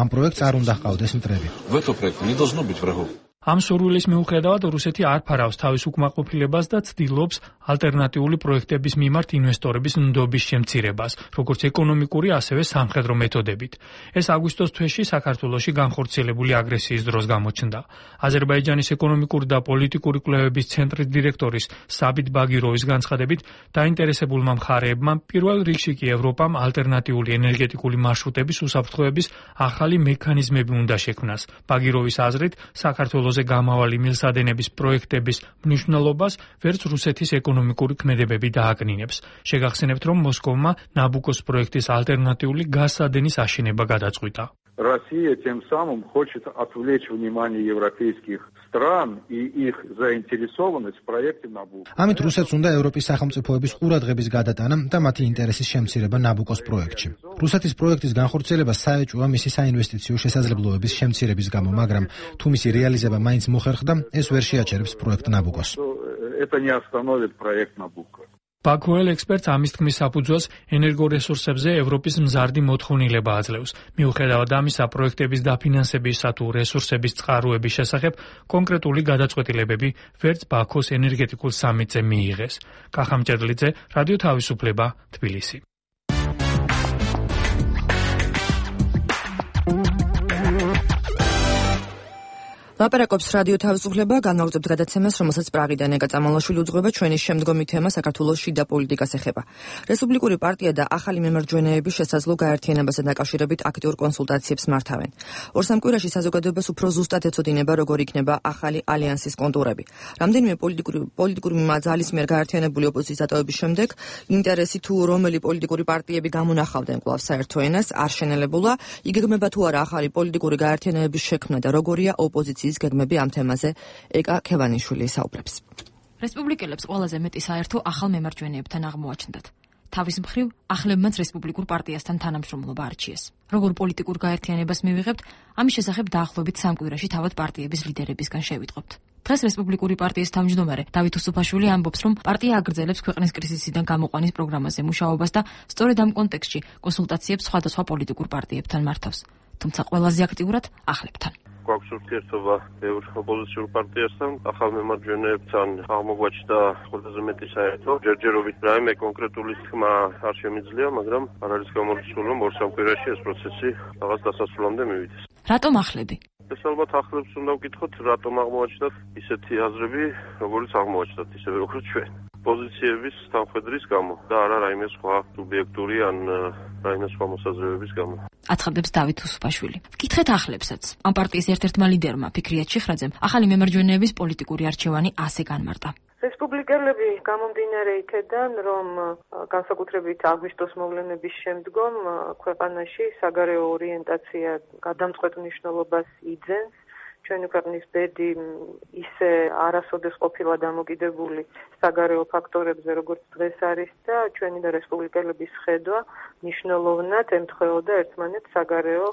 ამ პროექტს არ უნდა ჰყავდეს მტრები. В этом проекте не должно быть врагов. ამ სურვილის მიუხედავად რუსეთი არ ფარავს თავის უკმაყოფილებას და ცდილობს ალტერნატიული პროექტების მიმართ ინვესტორების ნდობის შემცირებას, როგორც ეკონომიკური, ასევე სამხედრო მეთოდებით. ეს აგვისტოს თვეში საქართველოში განხორციელებული აგრესიის დროს გამოჩნდა. აზერბაიჯანის ეკონომიკური და პოლიტიკური კვლევების ცენტრის დირექტორის საბით ბაგიროვის განცხადებით, დაინტერესებულმა მხარეებმა პირველ რიგში კი ევროპამ ალტერნატიული ენერგეტიკული მარშრუტების უსაფრთხოების ახალი მექანიზმები უნდა შექმნას. ბაგიროვის აზრით, საქართველოს გამავალი მილსადენების პროექტების მნიშვნელობას ვერც რუსეთის ეკონომიკური ქმედებები დააკნინებს. შეგახსენებთ, რომ მოსკოვმა ნაბუკოს პროექტის ალტერნატიული გაზსადენის აშენება გადაწყვიტა. Россия тем самым хочет отвлечь внимание европейских стран и их заинтересованность в проекте Набуко. ამით რუსეთს უნდა ევროპის სახელმწიფოების ყურადღების გადატანა და მათი ინტერესის შემცირება ნაბუკოს პროექტში. რუსეთის პროექტის განხორციელება საეჭვოა მისი საინვესტიციო შესაძლებლობების შემცირების გამო, მაგრამ თუ მისი რეალიზება მაინც მოხერხდა, ეს ვერ შეაჩერებს პროექტ ნაბუკოს. Это не остановит проект Набуко. ბაქოელ ექსპერტს ამის თქმის საფუძველს ენერგორესურსებზე ევროპის მზარდი მოთხოვნილება აძლევს. მიუხედავად ამისა, პროექტების დაფინანსებისა თუ რესურსების წყაროების შესახებ კონკრეტული გადაწყვეტილებები ვერც ბაქოს ენერგეტიკულ სამიტზე მიიღეს. კახა მჭედლიძე, რადიო თავისუფლება, თბილისი. ლაპარაკობს რადიო თავისუფლება, განმავლობთ გადაცემას, რომელსაც პრაღიდან ეკა წამალაშვილი უძღვება. ჩვენი შემდგომი თემა საქართველოს შიდა პოლიტიკას ეხება. რესპუბლიკური პარტია და ახალი მემარჯვენეები შესაძლო გაერთიანებასა დაკავშირებით აქტიურ კონსულტაციებს მართავენ. ორ-სამ კვირაში საზოგადოებას უფრო ზუსტად ეცოდინება, როგორ იქნება ახალი ალიანსის კონტურები. რამდენიმე პოლიტიკური ძალის მიერ გაერთიანებული ოპოზიციის დატოვების შემდეგ ინტერესი თუ რომელი პოლიტიკური პარტიები გამონახავდნენ კვლავ საერთო ენას არ შენელებულა. იგეგმება თუ არა ახალი პოლიტიკური გაერთიანებების შექმნა და როგორია ოპოზიციის გეგმები ამ თემაზე ეკა ქევანიშვილი საუბრებს. რესპუბლიკელებს ყველაზე მეტი საერთო ახალ მემარჯვენეებთან აღმოაჩნდათ. თავის მხრივ ახლებმაც რესპუბლიკურ პარტიასთან თანამშრომლობა არჩიეს. როგორ პოლიტიკურ გაერთიანებას მივიღებთ, ამის შესახებ დაახლოებით 3 კვირაში თავად პარტიების ლიდერებისგან შევიტყობთ. დღეს რესპუბლიკური პარტიის თავმჯდომარე დავით უსუფაშვილი ამბობს, რომ პარტია აგრძელებს ქვეყნის კრიზისიდან გამოყვანის პროგრამაზე მუშაობას და სწორედ ამ კონტექსტში კონსულტაციებს სხვადასხვა პოლიტიკურ პარტიებთან მართავს. თუმცა ყველაზე აქტიურად ახლებთან. გვაქვს ურთიერთობა ოპოზიციურ პარტიასთან, ახალ მემარჯვენეებთან აღმოგვაჩნდა ყველაზე მეტი საერთო. ჯერჯერობით რაიმე კონკრეტული თქმა არ შემიძლია, მაგრამ არ არის გამორიცხული, რომ 2-3 კვირაში ეს პროცესი რაღაც დასასრულამდე მივიდეს. რატომ ახლები? ეს ალბათ ახლებს უნდა ვკითხოთ, რატომ აღმოაჩნდათ ისეთი აზრები, როგორიც აღმოაჩნდათ, ისევე როგორც ჩვენ. პოზიციების თანხმედრის გამო და არა რაიმე სხვა სუბიექტური ან რაიმე სხვა მოსაზრებების გამო. აცხადებს დავით უსუფაშვილი. ვკითხეთ ახლებსაც. ამ პარტიის ერთ-ერთმა ლიდერმა ფიქრიათ შეხრაძემ ახალი მემარჯვენეების პოლიტიკური არჩევანი ასე განმარტა. რესპუბლიკელები გამომდინარე იქედან, რომ განსაკუთრებით აგვისტოს მოვლენების შემდგომ ქვეყანაში საგარეო ორიენტაცია გადამწყვეტ მნიშვნელობას იძენს. ჩვენი ქვეყნის ბედი ისე არასოდეს ყოფილა დამოკიდებული საგარეო ფაქტორებზე, როგორც დღეს არის და ჩვენი და რესპუბლიკელების ხედვა მნიშვნელოვნად ემთხვეოდა ერთმანეთს საგარეო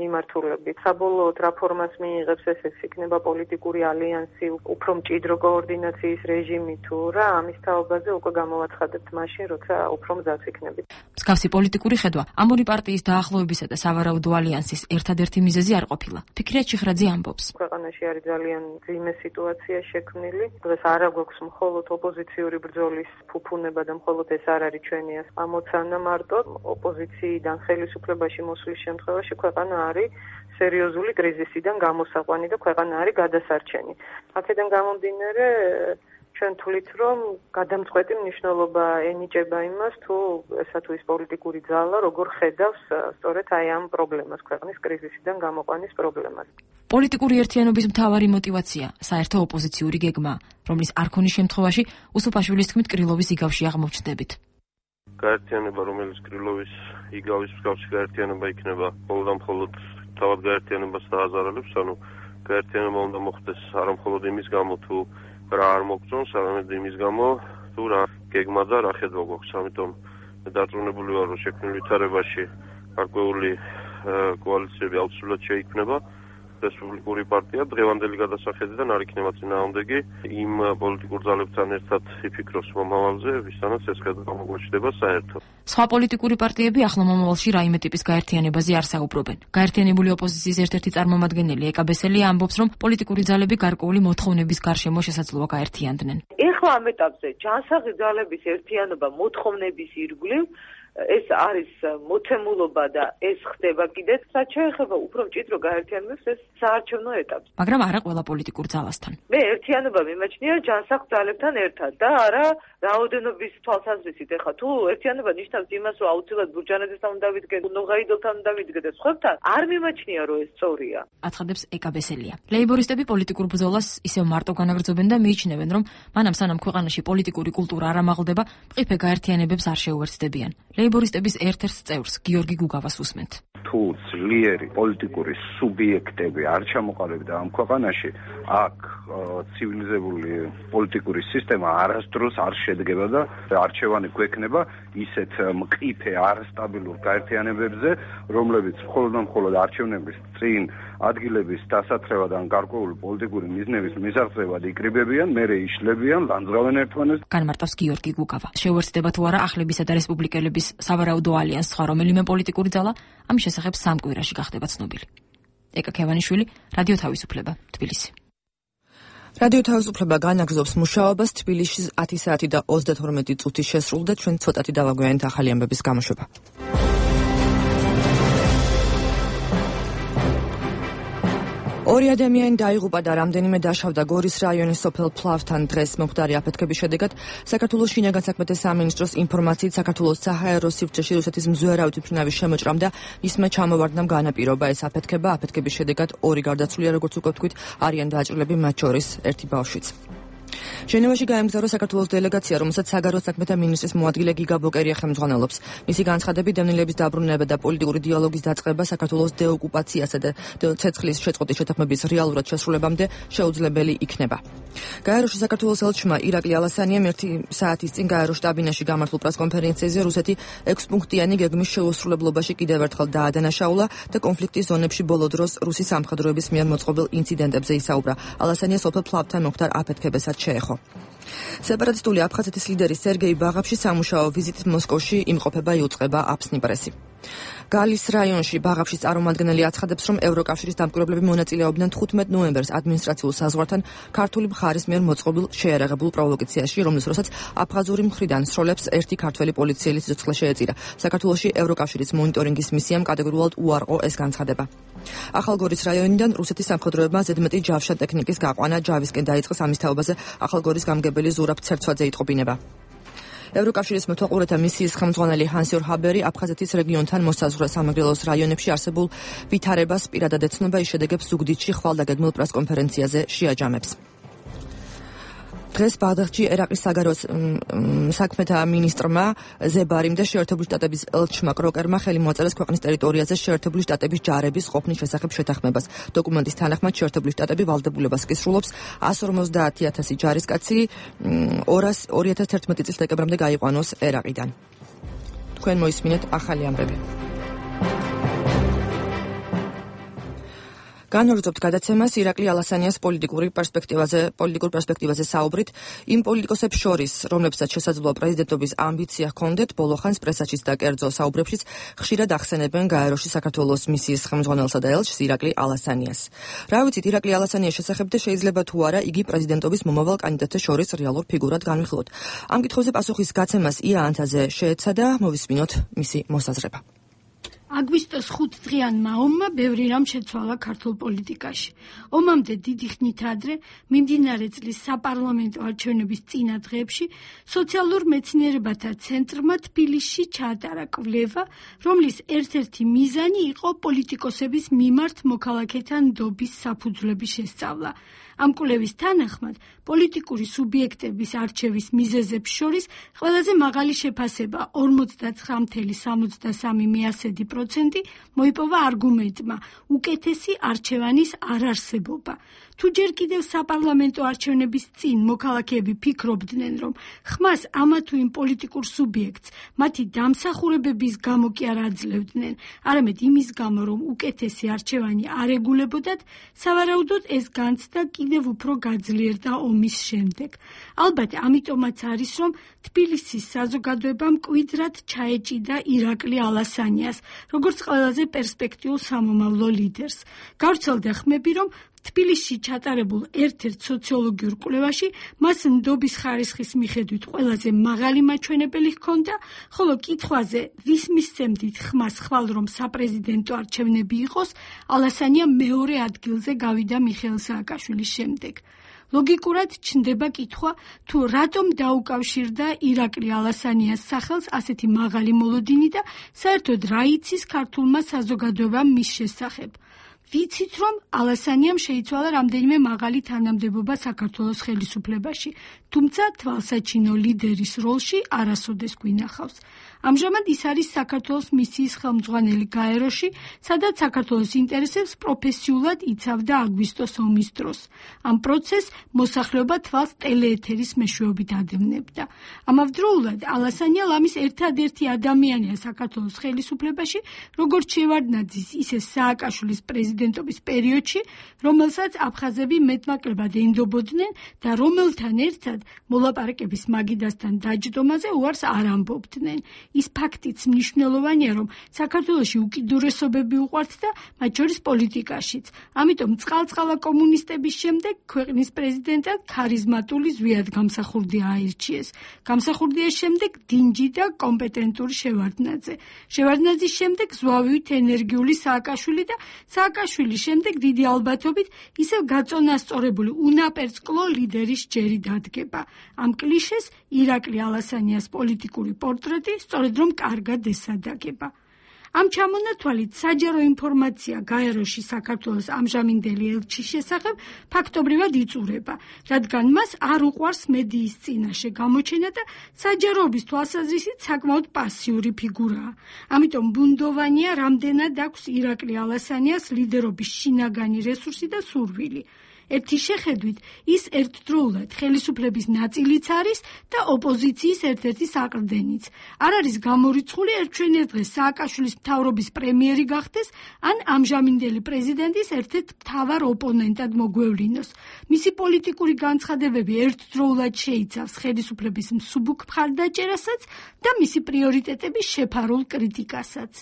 მიმართულებით. საბოლოოდ რა ფორმას მიიღებს ეს იქნება პოლიტიკური ალიანსი, უფრო მჭიდრო კოორდინაციის რეჟიმი თუ რა, ამის თაობაზე უკვე გამოვაცხადებთ მაშინ, როცა უფრო მზად იქნებით. მსგავსი პოლიტიკური ხედვა ამ ორი პარტიის დაახლოებისა და სავარაუდო ალიანსის ერთადერთი მიზეზი არ ყოფილა. ფიქრია ჩიხრაძე ამბობს. ქვეყანაში არის ძალიან ძიმე სიტუაცია შექმნილი. დღეს არ აქვს მხოლოდ ოპოზიციური ბრძოლის ფუფუნება და მხოლოდ ეს არ არის ჩვენი ამოცანა მარტო. ოპოზიციიდან ხელისუფლებაში მოსვლის შემთხვევაში ქვეყანა არის სერიოზული კრიზისიდან გამოსაყვანი და ქვეყანა არის გადასარჩენი. აქედან გამომდინარე ჩვენ თვლით, რომ გადამწყვეტი მნიშვნელობა ენიჭება იმას, თუ ესა თუ ის პოლიტიკური ძალა როგორ ხედავს სწორედ აი ამ პრობლემას, ქვეყნის კრიზისიდან გამოყვანის პრობლემას. პოლიტიკური ერთიანობის მთავარი мотиваცია საერთო ოპოზიციური გეგმა, რომლის არ ქონის შემთხვევაში უსუფაშვილის თქმით კრილოვის იგავში აღმოჩნდებით. გაერთიანება, რომელიც კრილოვის იგავის მსგავსი გაერთიანება იქნება, მხოლოდ თავად გაერთიანებას დააზარალებს, ანუ გაერთიანება უნდა მოხდეს არა მხოლოდ იმის გამო, თუ რა არ მოგწონს, არამედ იმის გამო, თუ რა გეგმა და რა ხედვა გვაქვს. ამიტომ დარწმუნებული ვარ, რომ შექმნილ ვითარებაში გარკვეული კოალიციები აუცილებლად შეიქმნება. რესპუბლიკური პარტია დღევანდელი გადასახედიდან არ იქნება წინააღმდეგი იმ პოლიტიკურ ძალებთან ერთად იფიქროს მომავალზე, ვისთანაც ეს ხედვა გამოგვაჩნდება საერთოდ. სხვა პოლიტიკური პარტიები ახლო მომავალში რაიმე ტიპის გაერთიანებაზე არ საუბრობენ. გაერთიანებული ოპოზიციის ერთ-ერთი წარმომადგენელი ეკა ბესელია ამბობს, რომ პოლიტიკური ძალები გარკვეული მოთხოვნების გარშემო შესაძლოა გაერთიანდნენ. ეხლა ამ ეტაპზე ჯანსაღი ძალების ერთიანობა მოთხოვნების ირგვლივ ეს არის მოცემულობა და ეს ხდება კიდეც, რაც შეეხება უფრო მჭიდრო გაერთიანებას ეს საარჩევნო ეტაპზე. მაგრამ არა ყველა პოლიტიკურ ძალასთან. მე ერთიანობა მიმაჩნია ჯანსაღ ძალებთან ერთად და არა რაოდენობის თვალსაზრისით. ეხლა თუ ერთიანობა ნიშნავს იმას, რომ აუცილებლად ბურჯანაძესთან უნდა ვიდგე, ნოღაიდოვთან უნდა ვიდგე და სხვებთან, არ მიმაჩნია, რომ ეს სწორია. აცხადებს ეკა ბესელია. ლეიბორისტები პოლიტიკურ ბრძოლას ისევ მარტო განაგრძობენ და მიიჩნევენ, რომ მანამ სანამ ქვეყანაში პოლიტიკური კულტურა არ ამაღლდება, მყიფე გაერთიანებებს არ შეუერთდებიან. ლეიბორისტების ერთ-ერთ წევრს გიორგი გუგავას უსმენთ. თუ ძლიერი პოლიტიკური სუბიექტები არ ჩამოყალიბდა ამ ქვეყანაში, აქ ცივილიზებული პოლიტიკური სისტემა არასდროს არ შედგება და არჩევანი გვექნება ისეთ მყიფე არასტაბილურ გაერთიანებებზე, რომლებიც მხოლოდ არჩევნების წინ ადგილების დასათრევად ან გარკვეული პოლიტიკური მიზნების მისაღწევად იკრიბებიან, მერე იშლებიან, ლანძღავენ ერთმანეთს. განმარტავს გიორგი გუგავა. შეუერთდება თუ არა ახლებისა და რესპუბლიკელების სავარაუდო ალიანსს სხვა რომელიმე პოლიტიკური ძალა, ამის შესახებ სამ კვირაში გახდება ცნობილი. ეკა ქევანიშვილი, რადიო თავისუფლება, თბილისი. რადიო თავისუფლება განაგრძობს მუშაობას. თბილისში 10 საათი და 32 წუთი შესრულდა. ჩვენ ცოტათი დავაგვიანეთ ახალი ამბების გამოშვება. ორი ადამიანი დაიღუპა და რამდენიმე დაშავდა გორის რაიონის სოფელ ფლავთან დღეს მომხდარი აფეთქების შედეგად. საქართველოს შინაგან საქმეთა სამინისტროს ინფორმაციით საქართველოს საჰაერო სივრცეში რუსეთის მზვერავით მფრინავის შემოჭრამ და მისმა ჩამოვარდნამ განაპირობა ეს აფეთქება. აფეთქების შედეგად ორი გარდაცვლილია, როგორც უკვე ვთქვით, არიან დაჭრილები, მათ შორის ერთი ბავშვიც. ჟენევაში გაემგზავრა საქართველოს დელეგაცია, რომელსაც საგარეო საქმეთა მინისტრის მოადგილე გიგა ბოკერია ხელმძღვანელობს. მისი განცხადებით, დევნილების დაბრუნება და პოლიტიკური დიალოგის დაწყება საქართველოს დეოკუპაციასა და ცეცხლის შეწყვეტის შეთანხმების რეალურად შესრულებამდე შეუძლებელი იქნება. გაეროში საქართველოს ელჩმა ირაკლი ალასანიამ 1 საათის წინ გაერო შტაბინაში გამართულ პრესკონფერენციაზე რუსეთი 6 პუნქტიანი გეგმის შეუსრულებლობაში კიდევ ერთხელ დაადანაშაულა და კონფლიქტის ზონებში ბოლო დროს რუსი სამხედროების მიერ მოწყობილ ინციდენტებზე ისაუბრა. ალასანია სოფელ ფლავთან მომხდარ აფეთქებასაც შეეხო. სეპარატისტული აფხაზეთის ლიდერი სერგეი ბაღაფში სამუშაო ვიზიტით მოსკოვში იმყოფება იუწყება აფსნი პრესი. გალის რაიონში ბაღაფშის წარმომადგენელი აცხადებს, რომ ევროკავშირის დამკვირვებლები მონაწილეობდნენ 15 ნოემბერს ადმინისტრაციულ საზღვართან ქართული მხარის მიერ მოწყობილ შეიარაღებულ პროვოკაციაში, რომლის დროსაც აფხაზური მხრიდან სროლებს ერთი ქართველი პოლიციელი სიცოცხლე შეეწირა. საქართველოში ევროკავშირის მონიტორინგის მისიამ კატეგორიულად უარყო ეს განცხადება. ახალგორის რაიონიდან რუსეთის სამხედროებმა ზედმეტი ჯავშა ტექნიკის გაყვანა ჯავისკენ დაიწყეს. ამის თაობაზე ახალგორის გამგებელი ზურაბ ცერცვაძე იტყობინება. ევროკავშირის მეთვალყურეთა მისიის ხელმძღვანელი ჰანსიორ ჰაბერი აფხაზეთის რეგიონთან მოსაზღვრე სამეგრელოს რაიონებში არსებულ ვითარებას პირადად ეცნობა, ის შედეგებს ზუგდიდში ხვალდაგეგმილ პრესკონფერენციაზე შეაჯამებს. დღეს ბაღდადში ერაყის საგარეო საქმეთა მინისტრმა ზებარიმ და შეერთებული შტატების ელჩმა კროკერმა ხელი მოაწერეს ქვეყნის ტერიტორიაზე შეერთებული შტატების ჯარების ყოფნის შესახებ შეთანხმებას. დოკუმენტის თანახმად შეერთებული შტატები ვალდებულებას კისრულობს 150,000 ჯარისკაცი 2011 წლის დეკემბრამდე გაიყვანოს ერაყიდან. თქვენ მოისმინეთ ახალი ამბები. განვაგრძობთ გადაცემას ირაკლი ალასანიას პოლიტიკურ პერსპექტივაზე საუბრით იმ პოლიტიკოსებს შორის, რომლებსაც შესაძლოა პრეზიდენტობის ამბიცია ჰქონდეთ, ბოლოხანს პრესაშიც და კერძო საუბრებშიც ხშირად ახსენებენ გაეროში საქართველოს მისიის ხელმძღვანელსა და ელჩს ირაკლი ალასანიას. რა ვიცით ირაკლი ალასანიას შესახებ და შეიძლება თუ არა იგი პრეზიდენტობის მომავალ კანდიდატთა შორის რეალურ ფიგურად განვიხილოთ. ამ კითხვებზე პასუხის გაცემას ია ანთაძე შეეცადა, მოვისმინოთ მისი მოსაზრება. აგვისტოს 5 დღიანმა ომმა ბევრი რამ შეცვალა ქართულ პოლიტიკაში. ომამდე დიდი ხნით ადრე, მიმდინარე წლის საპარლამენტო არჩევნების წინა დღეებში, სოციალურ მეცნიერებათა ცენტრმა თბილისში ჩაატარა კვლევა, რომლის ერთ-ერთი მიზანი იყო პოლიტიკოსების მიმართ მოქალაქეთა ნდობის საფუძვლების შესწავლა. ამ კვლევის თანახმად, პოლიტიკური სუბიექტების არჩევის მიზეზებს შორის ყველაზე მაღალი შეფასება 49,73% მოიპოვა არგუმენტმა უკეთესი არჩევანის არარსებობა. თუ ჯერ კიდევ საპარლამენტო არჩევნების წინ მოქალაქეები ფიქრობდნენ, რომ ხმას ამა თუ იმ პოლიტიკურ სუბიექტს მათი დამსახურებების გამო კი არ აძლევდნენ, არამედ იმის გამო, რომ უკეთესი არჩევანი არ ეგულებოდათ, სავარაუდოდ ეს განცდა კიდევ უფრო გაძლიერდა ომის შემდეგ. ალბათ ამიტომაც არის, რომ თბილისის საზოგადოებამ მკვიდრად ჩაეჭიდა ირაკლი ალასანიას, როგორც ყველაზე პერსპექტიულ სამომავლო ლიდერს. გავრცელდა ხმები, რომ თბილისში ჩატარებულ ერთ-ერთ სოციოლოგიურ კვლევაში მას ნდობის ხარისხის მიხედვით ყველაზე მაღალი მაჩვენებელი ჰქონდა, ხოლო კითხვაზე ვის მისცემდით ხმას ხვალ რომ საპრეზიდენტო არჩევნები იყოს, ალასანია მეორე ადგილზე გავიდა მიხეილ სააკაშვილის შემდეგ. ლოგიკურად ჩნდება კითხვა, თუ რატომ დაუკავშირდა ირაკლი ალასანიას სახელს ასეთი მაღალი მოლოდინი და საერთოდ რა იცის ქართულმა საზოგადოებამ მის შესახებ. ვიცით, რომ ალასანიამ შეიცვალა რამდენიმე მაღალი თანამდებობა საქართველოს ხელისუფლებაში, თუმცა თვალსაჩინო ლიდერის როლში არასოდეს გვინახავს. ამჟამად ის არის საქართველოს მისიის ხელმძღვანელი გაეროში, სადაც საქართველოს ინტერესებს პროფესიულად იცავდა აგვისტოს ომის დროს. ამ პროცესს მოსახლეობა თვალს ტელეეთერის მეშვეობით ადევნებდა. ამავდროულად ალასანია ლამის ერთადერთი ადამიანია საქართველოს ხელისუფლებაში, როგორც შევარდნაძის, ისე სააკაშვილის პრეზიდენტობის პერიოდში, რომელსაც აფხაზები მეტნაკლებად ენდობოდნენ და რომელთან ერთად მოლაპარაკების მაგიდასთან დაჯდომაზე უარს არ ამბობდნენ. ის ფაქტიც მნიშვნელოვანია, რომ საქართველოში უკიდურესობები უყვართ და მათ შორის პოლიტიკაშიც. ამიტომ წყალწყალა კომუნისტების შემდეგ ქვეყნის პრეზიდენტად ქარიზმატული ზვიად გამსახურდია აირჩიეს. გამსახურდიას შემდეგ დინჯი და კომპეტენტური შევარდნაძე. შევარდნაძის შემდეგ ზვავივით ენერგიული სააკაშვილი და სააკაშვილის შემდეგ დიდი ალბათობით ისევ გაწონასწორებული უნაპერწკლო ლიდერის ჯერი დადგება. ამ კლიშეს ირაკლი ალასანიას პოლიტიკური პორტრეტი სწორედ რომ კარგად ესადაგება. ამ ჩამონათვალით საჯარო ინფორმაცია გაეროში საქართველოს ამჟამინდელი ელჩის შესახებ ფაქტობრივად იწურება, რადგან მას არ უყვარს მედიის წინაშე გამოჩენა და საჯაროობის თვალსაზრისით საკმაოდ პასიური ფიგურაა. ამიტომ ბუნდოვანია, რამდენად აქვს ირაკლი ალასანიას ლიდერობის შინაგანი რესურსი და სურვილი. ერთი შეხედვით ის ერთდროულად ხელისუფლების ნაწილიც არის და ოპოზიციის ერთ-ერთი საყრდენიც. არ არის გამორიცხული ერთჩვენერ დღეს სააკაშვილის მთავრობის პრემიერი გახდეს, ან ამჟამინდელი პრეზიდენტის ერთ-ერთ მთავარ ოპონენტად მოგვევლინოს. მისი პოლიტიკური განცხადებები ერთდროულად შეიცავს ხელისუფლების მსუბუქ მხარდაჭერასაც და მისი პრიორიტეტების შეფარულ კრიტიკასაც.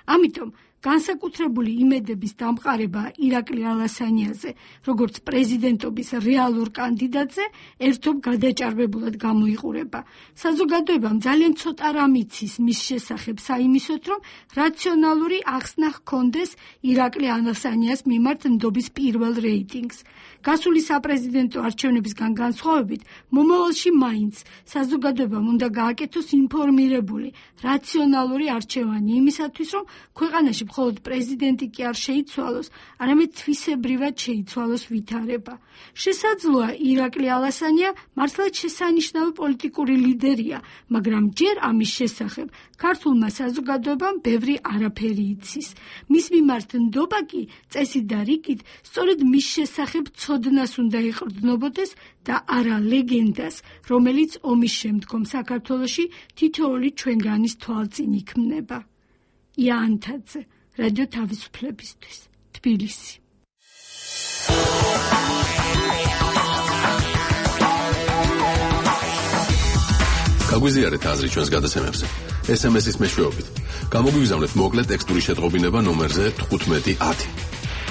ამიტომ განსაკუთრებული იმედების დამყარება ირაკლი ალასანიაზე, როგორც პრეზიდენტობის რეალურ კანდიდატზე, ერთობ გადაჭარბებულად გამოიყურება. საზოგადოებამ ძალიან ცოტა რამ იცის მის შესახებ საიმისოთ, რომ რაციონალური ახსნა ჰქონდეს ირაკლი ალასანიას მიმართ ნდობის პირველ რეიტინგს. გასული საპრეზიდენტო არჩევნებისგან განსხვავებით, მომავალში მაინც საზოგადოებამ უნდა გააკეთოს ინფორმირებული, რაციონალური არჩევანი იმისათვის, რომ ქვეყანაში მხოლოდ პრეზიდენტი კი არ შეიცვალოს, არამედ თვისებრივად შეიცვალოს ვითარება. შესაძლოა ირაკლი ალასანია მართლაც შესანიშნავი პოლიტიკური ლიდერია, მაგრამ ჯერ ამის შესახებ ქართულმა საზოგადოებამ ბევრი არაფერი იცის. მის მიმართ ნდობა კი წესით და რიგით სწორედ მის შესახებ ცოდნას უნდა ეყრდნობოდეს და არა ლეგენდას, რომელიც ომის შემდგომ საქართველოში თითოეული ჩვენგანის თვალწინ იქმნება. ია ანთაძე, რადიო თავისუფლებისთვის, თბილისი. გაგვიზიარეთ აზრი ჩვენს გადაცემებზე. SMS-ის მეშვეობით. გამოგვიგზავნეთ მოკლე ტექსტური შეტყობინება ნომერზე 1510.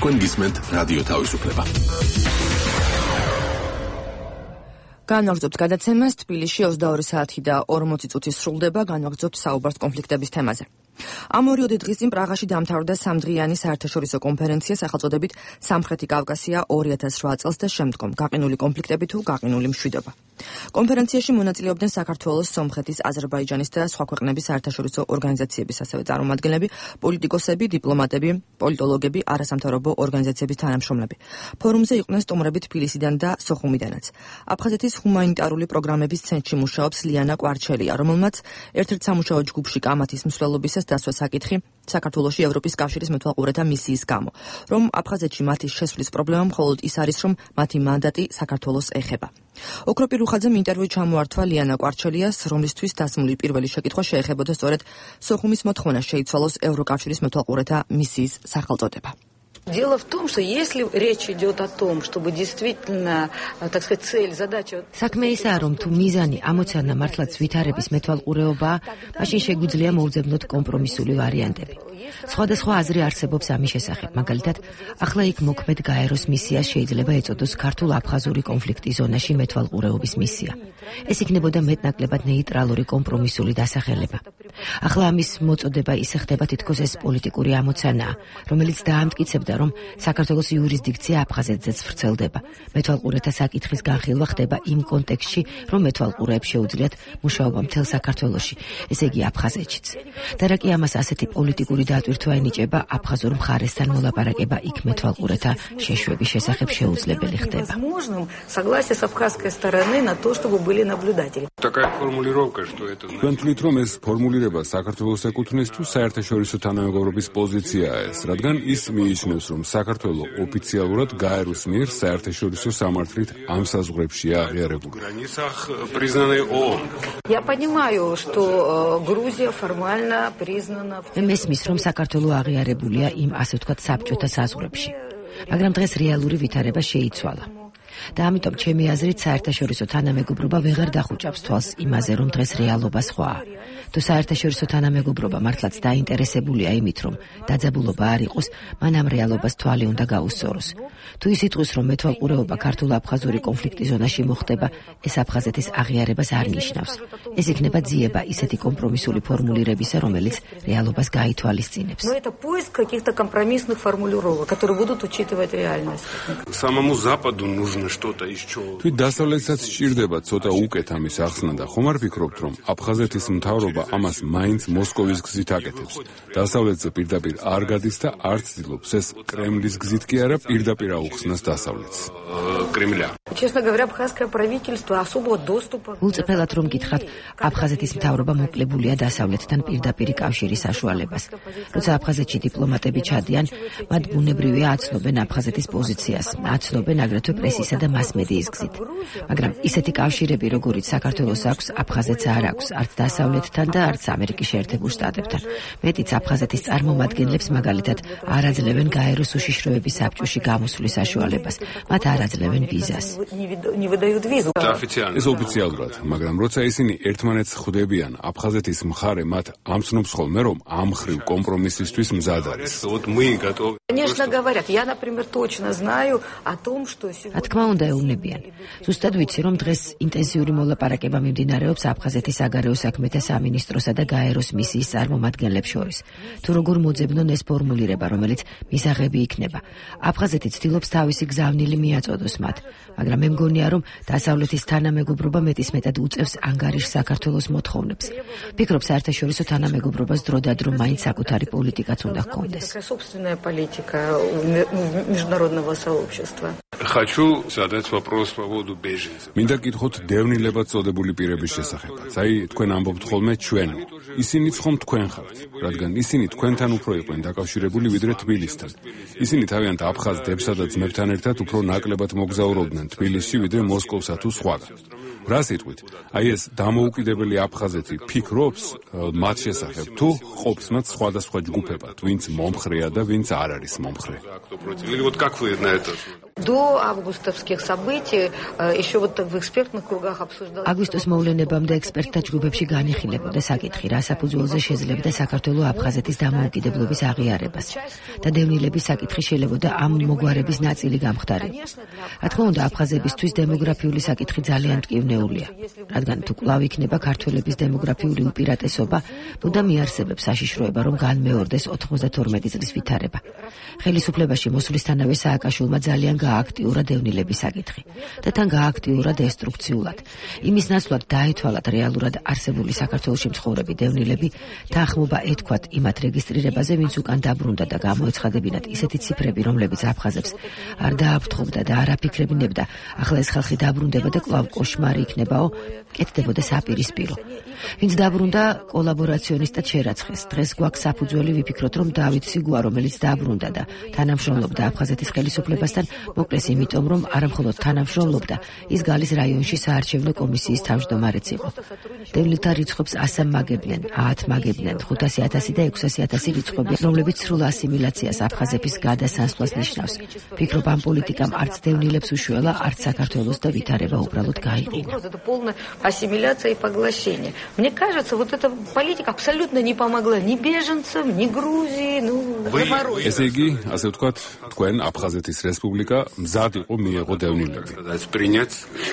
თქვენ გისმენთ რადიო თავისუფლება. განვაგრძობთ გადაცემას. თბილისში 22 საათი და 40 წუთი სრულდება. განვაგრძობთ საუბარს კონფლიქტების თემაზე. ამ 2 დღის წინ პრაღაში დამთავრდა სამდღიანი საერთაშორისო კონფერენცია სახელწოდებით სამხრეთი კავკასია 2008 წელს და შემდგომ გაყინული კონფლიქტები თუ გაყინული მშვიდობა. კონფერენციაში მონაწილეობდნენ საქართველოს, სომხეთის, აზერბაიჯანის და სხვა ქვეყნების საერთაშორისო ორგანიზაციების ასევე წარმომადგენლები, პოლიტიკოსები, დიპლომატები, პოლიტოლოგები, არასამთავრობო ორგანიზაციების თანამშრომლები. ფორუმზე იყვნენ სტუმრები თბილისიდან და სოხუმიდანაც. აფხაზეთის ჰუმანიტარული პროგრამების ცენტრში მუშაობს ლიანა კვარჩელია, რომელმაც ერთ-ერთ სამუშაო ჯგუფში კამათის მსვლელობისას დასვა საკითხი საქართველოში ევროპის კავშირის მეთვალყურეთა მისიის გამო, რომ აფხაზეთში მათი შესვლის პრობლემა მხოლოდ ის არის, რომ მათი მანდატი საქართველოს ეხება. ოქროპირ უხაძემ ინტერვიუ ჩამოართვა ლიანა კვარჩელიას, რომლისთვის დასმული პირველი შეკითხვა შეეხებოდა სწორედ სოხუმის მოთხოვნა შეიცვალოს ევროკავშირის მეთვალყურეთა მისიის სახელწოდება. Дело в том, что если речь идет о том, чтобы действительно, так сказать, цель, задача... საქმე ისაა, რომ თუ მიზანი ამოცანა მართლაც ვითარების მეთვალყურეობაა, მაშინ შეგვიძლია მოვძებნოთ კომპრომისული ვარიანტები. სხვადასხვა აზრი არსებობს ამის შესახებ. მაგალითად, ახლა იქ მოქმედ გაეროს მისიას შეიძლება ეწოდოს ქართულ-აფხაზური კონფლიქტის ზონაში მეთვალყურეობის მისია. ეს იქნებოდა მეტნაკლებად ნეიტრალური კომპრომისული დასახელება. ახლა ამის მოწოდება ისე ხდება თითქოს ეს პოლიტიკური ამოცანაა, რომელიც დაამტკიცებდა, რომ საქართველოს იურისდიქცია აფხაზეთზეც ვრცელდება. მეთვალყურეთა საკითხის განხილვა ხდება იმ კონტექსტში, რომ მეთვალყურეებს შეუძლიათ მუშაობა მთელ საქართველოში, ესე იგი აფხაზეთშიც. და რა კი ამას ასეთი პოლიტიკური დატვირთვა ენიჭება, აფხაზურ მხარესთან მოლაპარაკება იქ მეთვალყურეთა შეშვების შესახებ შეუძლებელი ხდება. Согласие с абхазской стороны на то, чтобы были наблюдатели. Такая формулировка, что это... Თქვენ თვლით, რომ ეს ფორმულირება საქართველოს ეკუთვნის თუ საერთაშორისო თანამეგობრობის პოზიციაა ეს, რადგან ის მიიჩნევს, რომ საქართველო ოფიციალურად გაეროს მიერ საერთაშორისო სამართლით ამ საზღვრებშია აღიარებული. Я понимаю, что Грузия формально признана... მესმის, რომ საქართველო აღიარებულია იმ, ასე ვთქვათ, საბჭოთა საზღვრებში. მაგრამ დღეს რეალური ვითარება შეიცვალა. და ამიტომ ჩემი აზრით საერთაშორისო თანამეგობრობა ვეღარ დახუჭავს თვალს იმაზე, რომ დღეს რეალობა სხვაა. თუ საერთაშორისო თანამეგობრობა მართლაც დაინტერესებულია იმით, რომ დაძაბულობა არ იყოს, მან ამ რეალობას თვალი უნდა გაუსწოროს. თუ ის იტყვის, რომ მეთვალყურეობა ქართულ-აფხაზური კონფლიქტის ზონაში მოხდება, ეს აფხაზეთის აღიარებას არ ნიშნავს. ეს იქნება ძიება ისეთი კომპრომისული ფორმულირებისა, რომელიც რეალობას გაითვალისწინებს. Но это поиск каких-то компромиссных формулировок, которые будут учитывать реальность. Самому Западу нужно что-то еще. თვით დასავლეთსაც სჭირდება ცოტა უკეთ ამის ახსნა და ხომ არ ფიქრობთ, რომ აფხაზეთის მთავრობა ამას მაინც მოსკოვის გზით აკეთებს. დასავლეთზე პირდაპირ არ გადის და არც ცდილობს ეს კრემლის გზით კი არა პირდაპირ აუხსნას დასავლეთს. Кремля. Честно говоря, абхазское правительство особого доступа... Ულწრფელად რომ გითხრათ, აფხაზეთის მთავრობა მოკლებულია დასავლეთთან პირდაპირ კავშირის საშუალებას. როცა აფხაზეთში დიპლომატები ჩადიან, მათ ბუნებრივია აცნობენ აფხაზეთის პოზიციას, აცნობენ აგრეთვე პრესისა და მასმედიის გზით. მაგრამ ისეთი კავშირები, როგორიც საქართველოს აქვს, აფხაზეთს არ აქვს, არც დასავლეთთან და არც ამერიკის შეერთებულ შტატებთან. მეტიც აფხაზეთის წარმომადგენლებს მაგალითად არ აძლევენ გაეროს უშიშროების საბჭოში გამოსვლის საშუალებას. მათ არ აძლევენ ვიზას. ეს ოფიციალურად, მაგრამ როცა ისინი ერთმანეთს ხვდებიან, აფხაზეთის მხარე მათ ამცნობს ხოლმე, რომ ამ ხრივ კომპრომისისთვის მზად არის. Конечно, говорят. Я, например, точно знаю о том, что... რა თქმა უნდა ეუბნებიან. ზუსტად ვიცი, რომ დღეს ინტენსიური მოლაპარაკება მიმდინარეობს აფხაზეთის საგარეო საქმეთა სამინისტროსა და გაეროს მისიის წარმომადგენლებს შორის. თუ როგორ მოძებნონ ეს ფორმულირება, რომელიც მისაღები იქნება. აფხაზეთი ცდილობს თავისი გზავნილი მიაწოდოს მათ, მაგრამ მე მგონია, რომ დასავლეთის თანამეგობრობა მეტისმეტად უწევს ანგარიშ საქართველოს მოთხოვნებს. ფიქრობ, საერთაშორისო თანამეგობრობას დროდადრო მაინც საკუთარი პოლიტიკაც უნდა ჰქონდეს. Собственная политика международного сообщества. Хочу задать вопрос по поводу беженцев. მინდა გითხოთ დევნილებად წოდებული პირების შესახებაც. აი, თქვენ ამბობთ ხოლმე ჩვენ. ისინიც ხომ თქვენ ხართ, რადგან ისინი თქვენთან უფრო იყვნენ დაკავშირებული ვიდრე თბილისთან. ისინი თავიანთ აფხაზ დებსა და ძმებთან ერთად უფრო ნაკლებად მოგზაურობდნენ თბილისში ვიდრე მოსკოვსა თუ სხვაგან. რა სიტყვით? აი ეს დამოუკიდებელი აფხაზეთი ფიქრობს მათ შესახებ, თუ ყოფს მათ სხვადასხვა ჯგუფებად, ვინც მომხრეა და ვინც არ არის მომხრე. До августовских событий еще вот в экспертных кругах обсуждалось. აგვისტოს მოვლენებამდე ექსპერტთა ჯგუფებში განიხილებოდა საკითხი, რა საფუძველზე შეძლებდა საქართველოს აფხაზეთის დამოუკიდებლობის აღიარებას და დევნილების საკითხი შეიძლება ამ მოგვარების ნაწილი გამხდარიყო. რა თქმა უნდა, აფხაზებისთვის დემოგრაფიული საკითხი ძალიან მტკივნეულია, რადგან თუ კვლავ იქნება ქართველების დემოგრაფიული უპირატესობა, მუდამ იარსებებს საშიშროება, რომ განმეორდეს 92 წლის ვითარება. ხელისუფლებაში მოსვლისთანავე სააკაშვილმა ძალიან გააქტიურა დევნილების საკითხი და თან გააქტიურა დესტრუქციულად. იმის ნაცვლად დაეთვალათ რეალურად არსებული საქართველოში მცხოვრები დევნილები, თანხმობა ეთქვათ იმათ რეგისტრირებაზე, ვინც უკან დაბრუნდა და გამოეცხადებინათ ისეთი ციფრები, რომლებიც აფხაზებს არ დააფრთხობდა და არ აფიქრებინებდა, ახლა ეს ხალხი დაბრუნდება და კვლავ კოშმარი იქნებაო, კეთდებოდა საპირისპირო. ვინც დაბრუნდა, კოლაბორაციონისტად შერაცხეს. დღეს გვაქვს საფუძველი ვიფიქროთ, რომ დავით სიგუა, რომელიც დაბრუნდა და თანამშრომლობდა აფხაზეთის ხელისუფლებასთან, მოკლეს იმიტომ, რომ არამხოლოდ თანამშრომლობდა, ის გალის რაიონში საარჩევნო კომისიის თავმჯდომარეც იყო. დევნილთა რიცხვებს 100 მაგებდნენ, 10 მაგებდნენ, 500,000 და 600,000 რიცხვები, რომლებიც სრულ ასიმილაციას აფხაზების გადასანაცვლას ნიშნავს. ფიქრობ, ამ პოლიტიკამ არც დევნილებს უშველა, არც საქართველოს და ვითარება უბრალოდ გაიყინა. Это полная ассимиляция и поглощение. Мне кажется, вот эта политика абсолютно не помогла ни беженцам, ни Грузии, ესე იგი, ასე ვთქვათ, თქვენ აფხაზეთის რესპუბლიკა მზად იყო მიეღო დევნილები.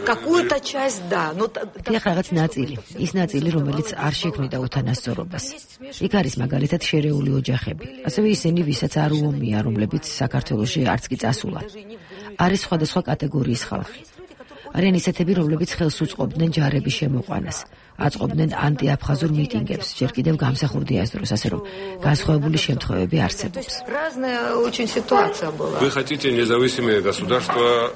Какую-то часть, да, но რაღაც ნაწილი, ის ნაწილი, რომელიც არ შექმნიდა უთანასწორობას. იქ არის მაგალითად შერეული ოჯახები. ასევე ისინი, ვისაც არ უომია, რომლებიც საქართველოში არც კი წასულან. არის სხვადასხვა კატეგორიის ხალხი. არიან ისეთები, რომლებიც ხელს უწყობდნენ ჯარების შემოყვანას, აწყობდნენ ანტიაფხაზურ მიტინგებს, ჯერ კიდევ გამსახურდია ეს დროს, ასე რომ განსხვავებული შემთხვევები არსებობს. Разная очень ситуация была. Вы хотите независимое государство?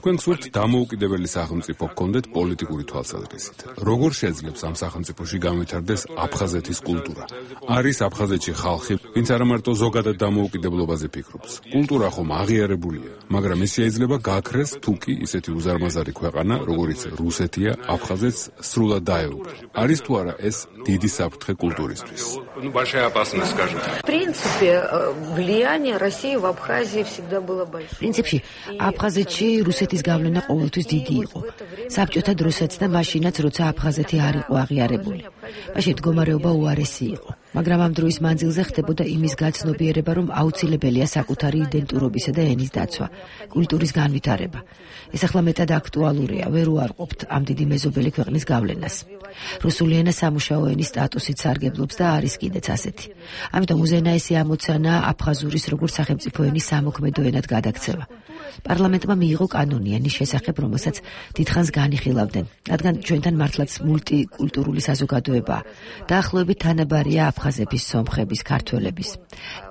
თქვენ გსურთ დამოუკიდებელი სახელმწიფო გქონდეთ პოლიტიკური თვალსაზრისით. როგორ შეძლებს ამ სახელმწიფოში განვითარდეს აფხაზეთის კულტურა? არის აფხაზეთში ხალხი, ვინც არა მარტო ზოგადად დამოუკიდებლობაზე ფიქრობს. კულტურა ხომ აღიარებულია, მაგრამ ის შეიძლება გაქრეს თუ კი ისეთი უზარმაზარი ქვეყანა, როგორიც რუსეთია, აფხაზეთს სრულად დაეუფლა. არის თუ არა ეს დიდი საფრთხე კულტურისთვის? В принципе, влияние России в Абхазии всегда было большое. პრინციპში, აფხაზეთში რუსეთის გავლენა ყოველთვის დიდი იყო. საბჭოთა დროსაც და მაშინაც, როცა აფხაზეთი არ იყო აღიარებული. მაშინ მდგომარეობა უარესი იყო. მაგრამ ამ დროის მანძილზე ხდებოდა იმის გაცნობიერება, რომ აუცილებელია საკუთარი იდენტურობისა და ენის დაცვა, კულტურის განვითარება. ეს ახლა მეტად აქტუალურია, ვერ უარყოფთ ამ დიდი მეზობელი ქვეყნის გავლენას. რუსული ენა სამუშაო ენის სტატუსით სარგებლობს და არის კიდეც ასეთი. ამიტომ უზენაესი ამოცანა აფხაზურის როგორც სახელმწიფო ენის სამოქმედო ენად გადაქცევა. პარლამენტმა მიიღო კანონი ენის შესახებ, რომელსაც დიდხანს განიხილავდნენ, რადგან ჩვენთან მართლაც მულტიკულტურული საზოგადოებაა. დაახლოებით თანაბარია აფხაზების, სომხების, ქართველების.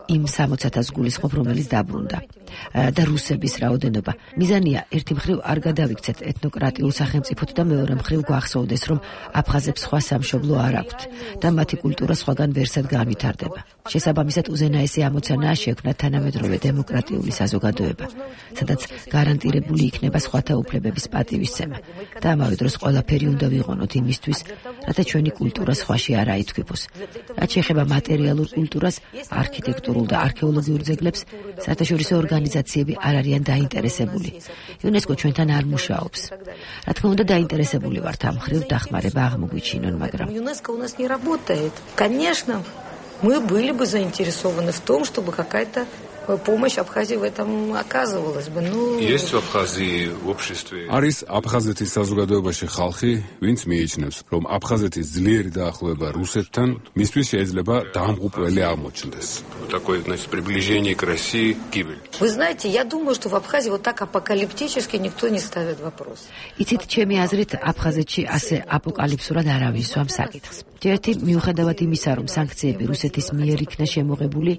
იმ 60,000 გულისხმობ, რომელიც დაბრუნდა და რუსების რაოდენობა. მიზანია ერთი მხრივ არ გადავიქცეთ ეთნოკრატიულ სახელმწიფოთ და მეორე მხრივ გვახსოვდეს, რომ აფხაზებს სხვა სამშობლო არ აქვთ და მათი კულტურა სხვაგან ვერსად განვითარდება. შესაბამისად, უზენაესი ამოცანაა შექმნა თანამედროვე დემოკრატიული საზოგადოება, სადაც გარანტირებული იქნება სხვათა უფლებების პატივისცემა და ამავე დროს ყველაფერი უნდა ვიყონოთ იმისთვის, რათა ჩვენი კულტურა სხვაში არ აითქვიფოს. რაც შეეხება მატერიალურ კულტურას, არქიტექტურულ და არქეოლოგიურ ძეგლებს, საერთაშორისო ორგანიზაციები არ არიან დაინტერესებული. იუნესკო ჩვენთან არ მუშაობს. რა თქმა უნდა, დაინტერესებული ვართ ამ მხრივ დახმარება აღმოგვიჩინონ, მაგრამ ЮНЕСКО у нас не работает. Конечно, мы были бы заинтересованы в том, чтобы какая-то помощь Абхазии в этом оказывалась бы. Есть в Абхазии в обществе. არის აფხაზეთის საზოგადოებაში ხალხი, ვინც მიიჩნევს, რომ აფხაზეთის ძლიერი დაახლოება რუსეთთან მისთვის შეიძლება დამღუპველი აღმოჩნდეს. Такое, значит, приближение к России, гибель. Вы знаете, я думаю, что в Абхазии вот так апокалиптически никто не ставит вопрос. იცით, ჩემი აზრით, აფხაზეთში ასე აპოკალიფსურად არავინ სვამ საკითხს. ერთი მიუხედავად იმისა, რომ სანქციები რუსეთის მიერ იქნა შემოღებული,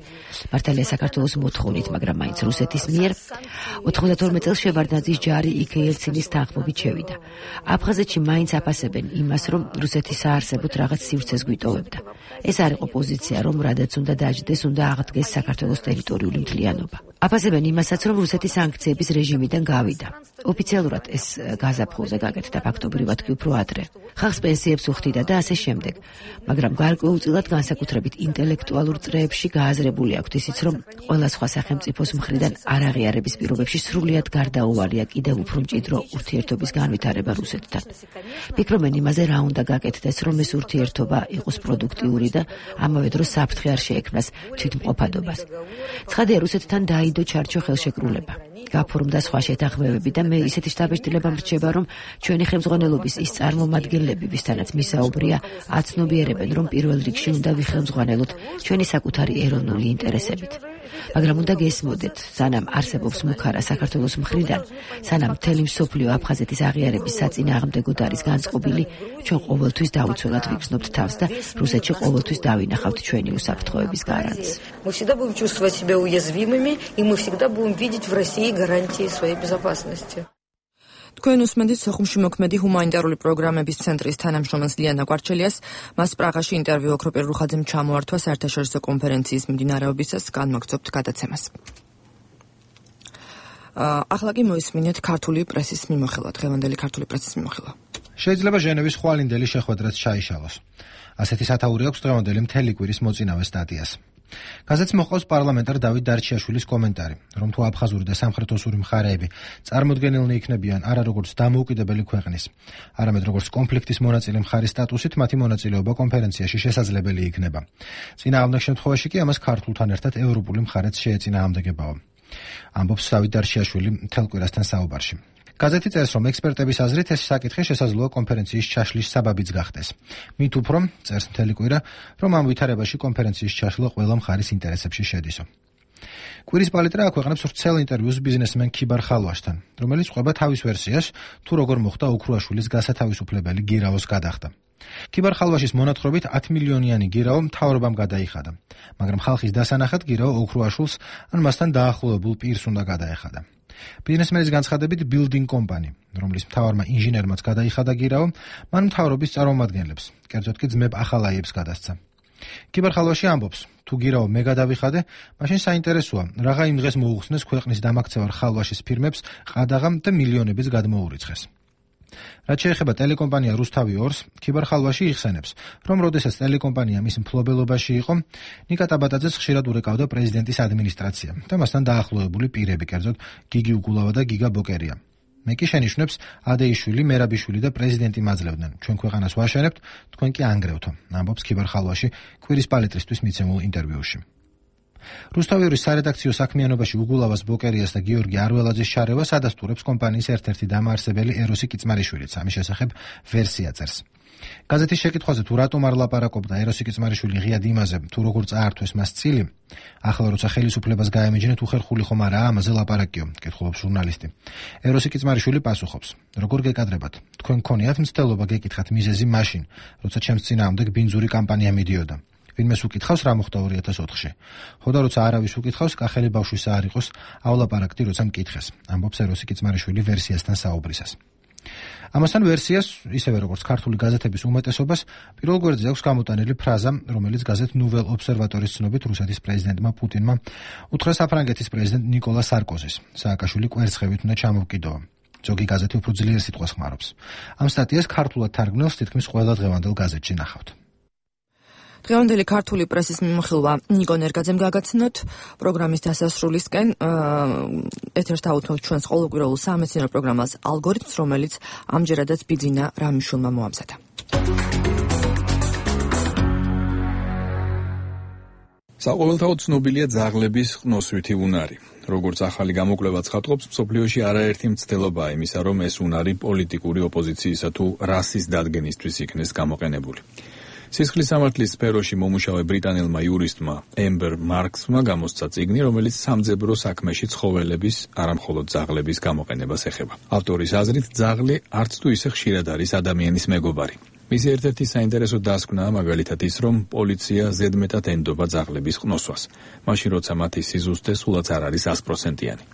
მართალია საქართველოს მოთხოვნით, მაგრამ მაინც რუსეთის მიერ 92 წელს შევარდნაძის ჯარი იქ ელცინის თანხმობით შევიდა. აფხაზეთში მაინც აფასებენ იმას, რომ რუსეთის საარსებოდ რაღაც სივრცეს გვიტოვებდა. ეს არ იყო პოზიცია, რომ რადაც უნდა დაждდეს, უნდა აღდგეს საქართველოს ტერიტორიული მთლიანობა. აფასებენ იმასაც, რომ რუსეთი სანქციების რეჟიმიდან გავიდა. ოფიციალურად ეს გაზაფხულზე გაკეთდა, ფაქტობრივად კი უფრო ადრე. ხალხს პენსიებს უხდიდა და ასე შემდეგ. მაგრამ გარკვეულწილად განსაკუთრებით ინტელექტუალურ წრეებში გააზრებული აქვთ ისიც, რომ ყველა სხვა სახელმწიფოს მხრიდან არაღიარების პირობებში სრულიად გარდაუვალია კიდევ უფრო მჭიდრო ურთიერთობის განვითარება რუსეთთან. ფიქრობენ იმაზე, რა უნდა გაკეთდეს, რომ ეს ურთიერთობა იყოს პროდუქტიული და ამავე დროს საფრთხე არ შეექმნას თვითმყოფადობას. ცხადია, რუსეთთან დაიდო ჩარჩო ხელშეკრულება. გაფორმდა სხვა შეთანხმებები და მე ისეთი შთაბეჭდილება მრჩება, რომ ჩვენი ხელმძღვანელობის ის წარმომადგენლები, ვისთანაც მისაუბრია, აცნობიერებენ, რომ პირველ რიგში უნდა ვიხელმძღვანელოთ ჩვენი საკუთარი ეროვნული ინტერესებით. მაგრამ უნდა გესმოდეთ, სანამ არსებობს მუქარა საქართველოს მხრიდან, სანამ მთელი მსოფლიო აფხაზეთის აღიარების საწინააღმდეგოდ არის განწყობილი, ჩვენ ყოველთვის დაუცველად ვიგრძნობთ თავს და რუსეთში ყოველთვის დავინახავთ ჩვენი უსაფრთხოების გარანტს. Мы всегда будем чувствовать себя уязвимыми, и мы всегда будем видеть в России гарантии своей безопасности. თქვენ უსმენთ სოხუმში მოქმედი ჰუმანიტარული პროგრამების ცენტრის თანამშრომელს ლიანა კვარჩელიას. მას პრაღაში ინტერვიუ ოქროპირ რუხაძემ ჩამოართვა საერთაშორისო კონფერენციის მიმდინარეობისას, განმაგრძობთ გადაცემას. ახლა კი მოისმინეთ ქართული პრესის მიმოხილვა, დღევანდელი ქართული პრესის მიმოხილვა. შეიძლება ჟენევის ხვალინდელი შეხვედრაც ჩაიშალოს. ასეთი სათაური აქვს დღევანდელი მთელი კვირის მოწინავე სტატიას. გაზეთს მოჰყავს პარლამენტარ დავით დარჩიაშვილის კომენტარი, რომ თუ აფხაზური და სამხრეთოსური მხარეები წარმოდგენილნი იქნებიან არა როგორც დამოუკიდებელი ქვეყნის, არამედ როგორც კონფლიქტის მონაწილე მხარის სტატუსით, მათი მონაწილეობა კონფერენციაში შესაძლებელი იქნება. წინააღმდეგ შემთხვევაში კი ამას ქართულთან ერთად ევროპული მხარეც შეეწინააღმდეგებაო. ამბობს დავით დარჩიაშვილი მთელ კვირასთან საუბარში. გაზეთი წერს, რომ ექსპერტების აზრით ეს საკითხი შესაძლოა კონფერენციის ჩაშლის საბაბიც გახდეს. მით უფრო წერს მთელი კვირა, რომ ამ ვითარებაში კონფერენციის ჩაშლა ყველა მხარის ინტერესებში შედისო. კვირის პალიტრა აქვეყნებს ვრცელ ინტერვიუს ბიზნესმენ ქიბარ ხალვაშთან, რომელიც ყვება თავის ვერსიას, თუ როგორ მოხდა ოქრუაშვილის გასათავისუფლებელი გირაოს გადახდა. ქიბარ ხალვაშის მონათხრობით 10 მილიონიანი გირაო მთავრობამ გადაიხადა, მაგრამ ხალხის დასანახად გირაო ოქრუაშვილს ან მასთან დაახლოებულ პირს უნდა გადაეხადა. ბიზნესმენის განცხადებით building company, რომლის მთავარმა ინჟინერმაც გადაიხადა გირაო, მან მთავრობის წარმომადგენლებს, კერძოდ კი ძმებ ახალაიებს გადასცა. ქიბარ ხალვაში ამბობს, თუ გირაო მე გადავიხადე, მაშინ საინტერესოა, რაღა იმ დღეს მოუხსნეს ქვეყნის დამაქცევარ ხალვაშის ფირმებს ყადაღამ და მილიონების გადმოურიცხეს. რაც შეეხება ტელეკომპანია რუსთავი 2-ს, ქიბარ ხალვაში იხსენებს, რომ როდესაც ტელეკომპანია მის მფლობელობაში იყო, ნიკა ტაბატაძეს ხშირად ურეკავდა პრეზიდენტის ადმინისტრაცია და მასთან დაახლოებული პირები, კერძოდ გიგი უგულავა და გიგა ბოკერია. მე კი შენიშნებს ადეიშვილი, მერაბიშვილი და პრეზიდენტი მაძლევდნენ. ჩვენ ქვეყანას ვაშენებთ, თქვენ კი ანგრევთო, ამბობს ქიბარ ხალვაში კვირის პალიტრისთვის მიცემულ ინტერვიუში. რუსთავის სარედაქციო საქმიანობაში უგულავას ბოკერიას და გიორგი არველაძის შარევას ადასტურებს კომპანიის ერთ-ერთი დამაარსებელი ეროსი კიცმარიშვილიც. ამის შესახებ ვერსია წერს. გაზეთის შეკითხვაზე თუ რატომ არ ლაპარაკობდა ეროსი კიცმარიშვილი ღიად იმაზე, თუ როგორ წაართვეს მას წილი, ახლა როცა ხელისუფლებას გაემეჯნეთ, უხერხული ხომ არაა ამაზე ლაპარაკიო, კითხულობს ჟურნალისტი. ეროსი კიცმარიშვილი პასუხობს: როგორ გეკადრებათ? თქვენ გქონიათ მცდელობა გეკითხათ მიზეზი მაშინ, როცა ჩემს წინააღმდეგ ბინძური კამპანია მიდიოდა. ვინმეს უკითხავს რა მოხდა 2004-ში. ხოდა როცა არავის უკითხავს, კახელი ბავშვისა არ იყოს, ავლაპარაკდი როცა მკითხეს, ამბობს ეროსი კიცმარიშვილი ვერსიასთან საუბრისას. ამასთან ვერსიას, ისევე როგორც ქართული გაზეთების უმეტესობას, პირველ გვერდზე აქვს გამოტანილი ფრაზა, რომელიც გაზეთ ნუվել ობსერვატორის ცნობით რუსეთის პრეზიდენტმა პუტინმა უთხრა საფრანგეთის პრეზიდენტ ნიკოლა სარკოზის. სააკაშვილი კვერცხებით უნდა ჩამოვკიდოა. ზოგი გაზეთი უფრო ძლიერ სიტყვას ხმარობს. ამ სტატიას ქართულად თარგმნელს თითქმის ყველა დღევანდელ გაზეთში ნახავთ. დღევანდელი ქართული პრესის მიმოხილვა ნიკო ნერგაძემ გაგაცნოთ. პროგრამის დასასრულისკენ ეთერს დავუთმობთ ჩვენს ყოველკვირეულ სამეცნიერო პროგრამას ალგორითმს, რომელიც ამჯერადაც ბიძინა რამიშვილმა მოამზადა. საყოველთაოდ ცნობილია ძაღლების ყნოსვითი უნარი. როგორც ახალი გამოკვლევა ცხადყოფს, მსოფლიოში არაერთი მცდელობაა იმისა, რომ ეს უნარი პოლიტიკური ოპოზიციისა თუ რასის დადგენისთვის იქნეს გამოყენებული. სისხლის სამართლის სფეროში მომუშავე ბრიტანელმა იურისტმა ემბერ მარქსმა გამოსცა წიგნი, რომელიც სამძებრო საქმეში ცხოველების, არამხოლოდ ძაღლების გამოყენებას ეხება. ავტორის აზრით, ძაღლი არც თუ ისე ხშირად არის ადამიანის მეგობარი. მისი ერთ-ერთი საინტერესო დასკვნაა მაგალითად ის, რომ პოლიცია ზედმეტად ენდობა ძაღლების ყნოსვას, მაშინ როცა მათი სიზუსტე სულაც არ არის 100%-იანი.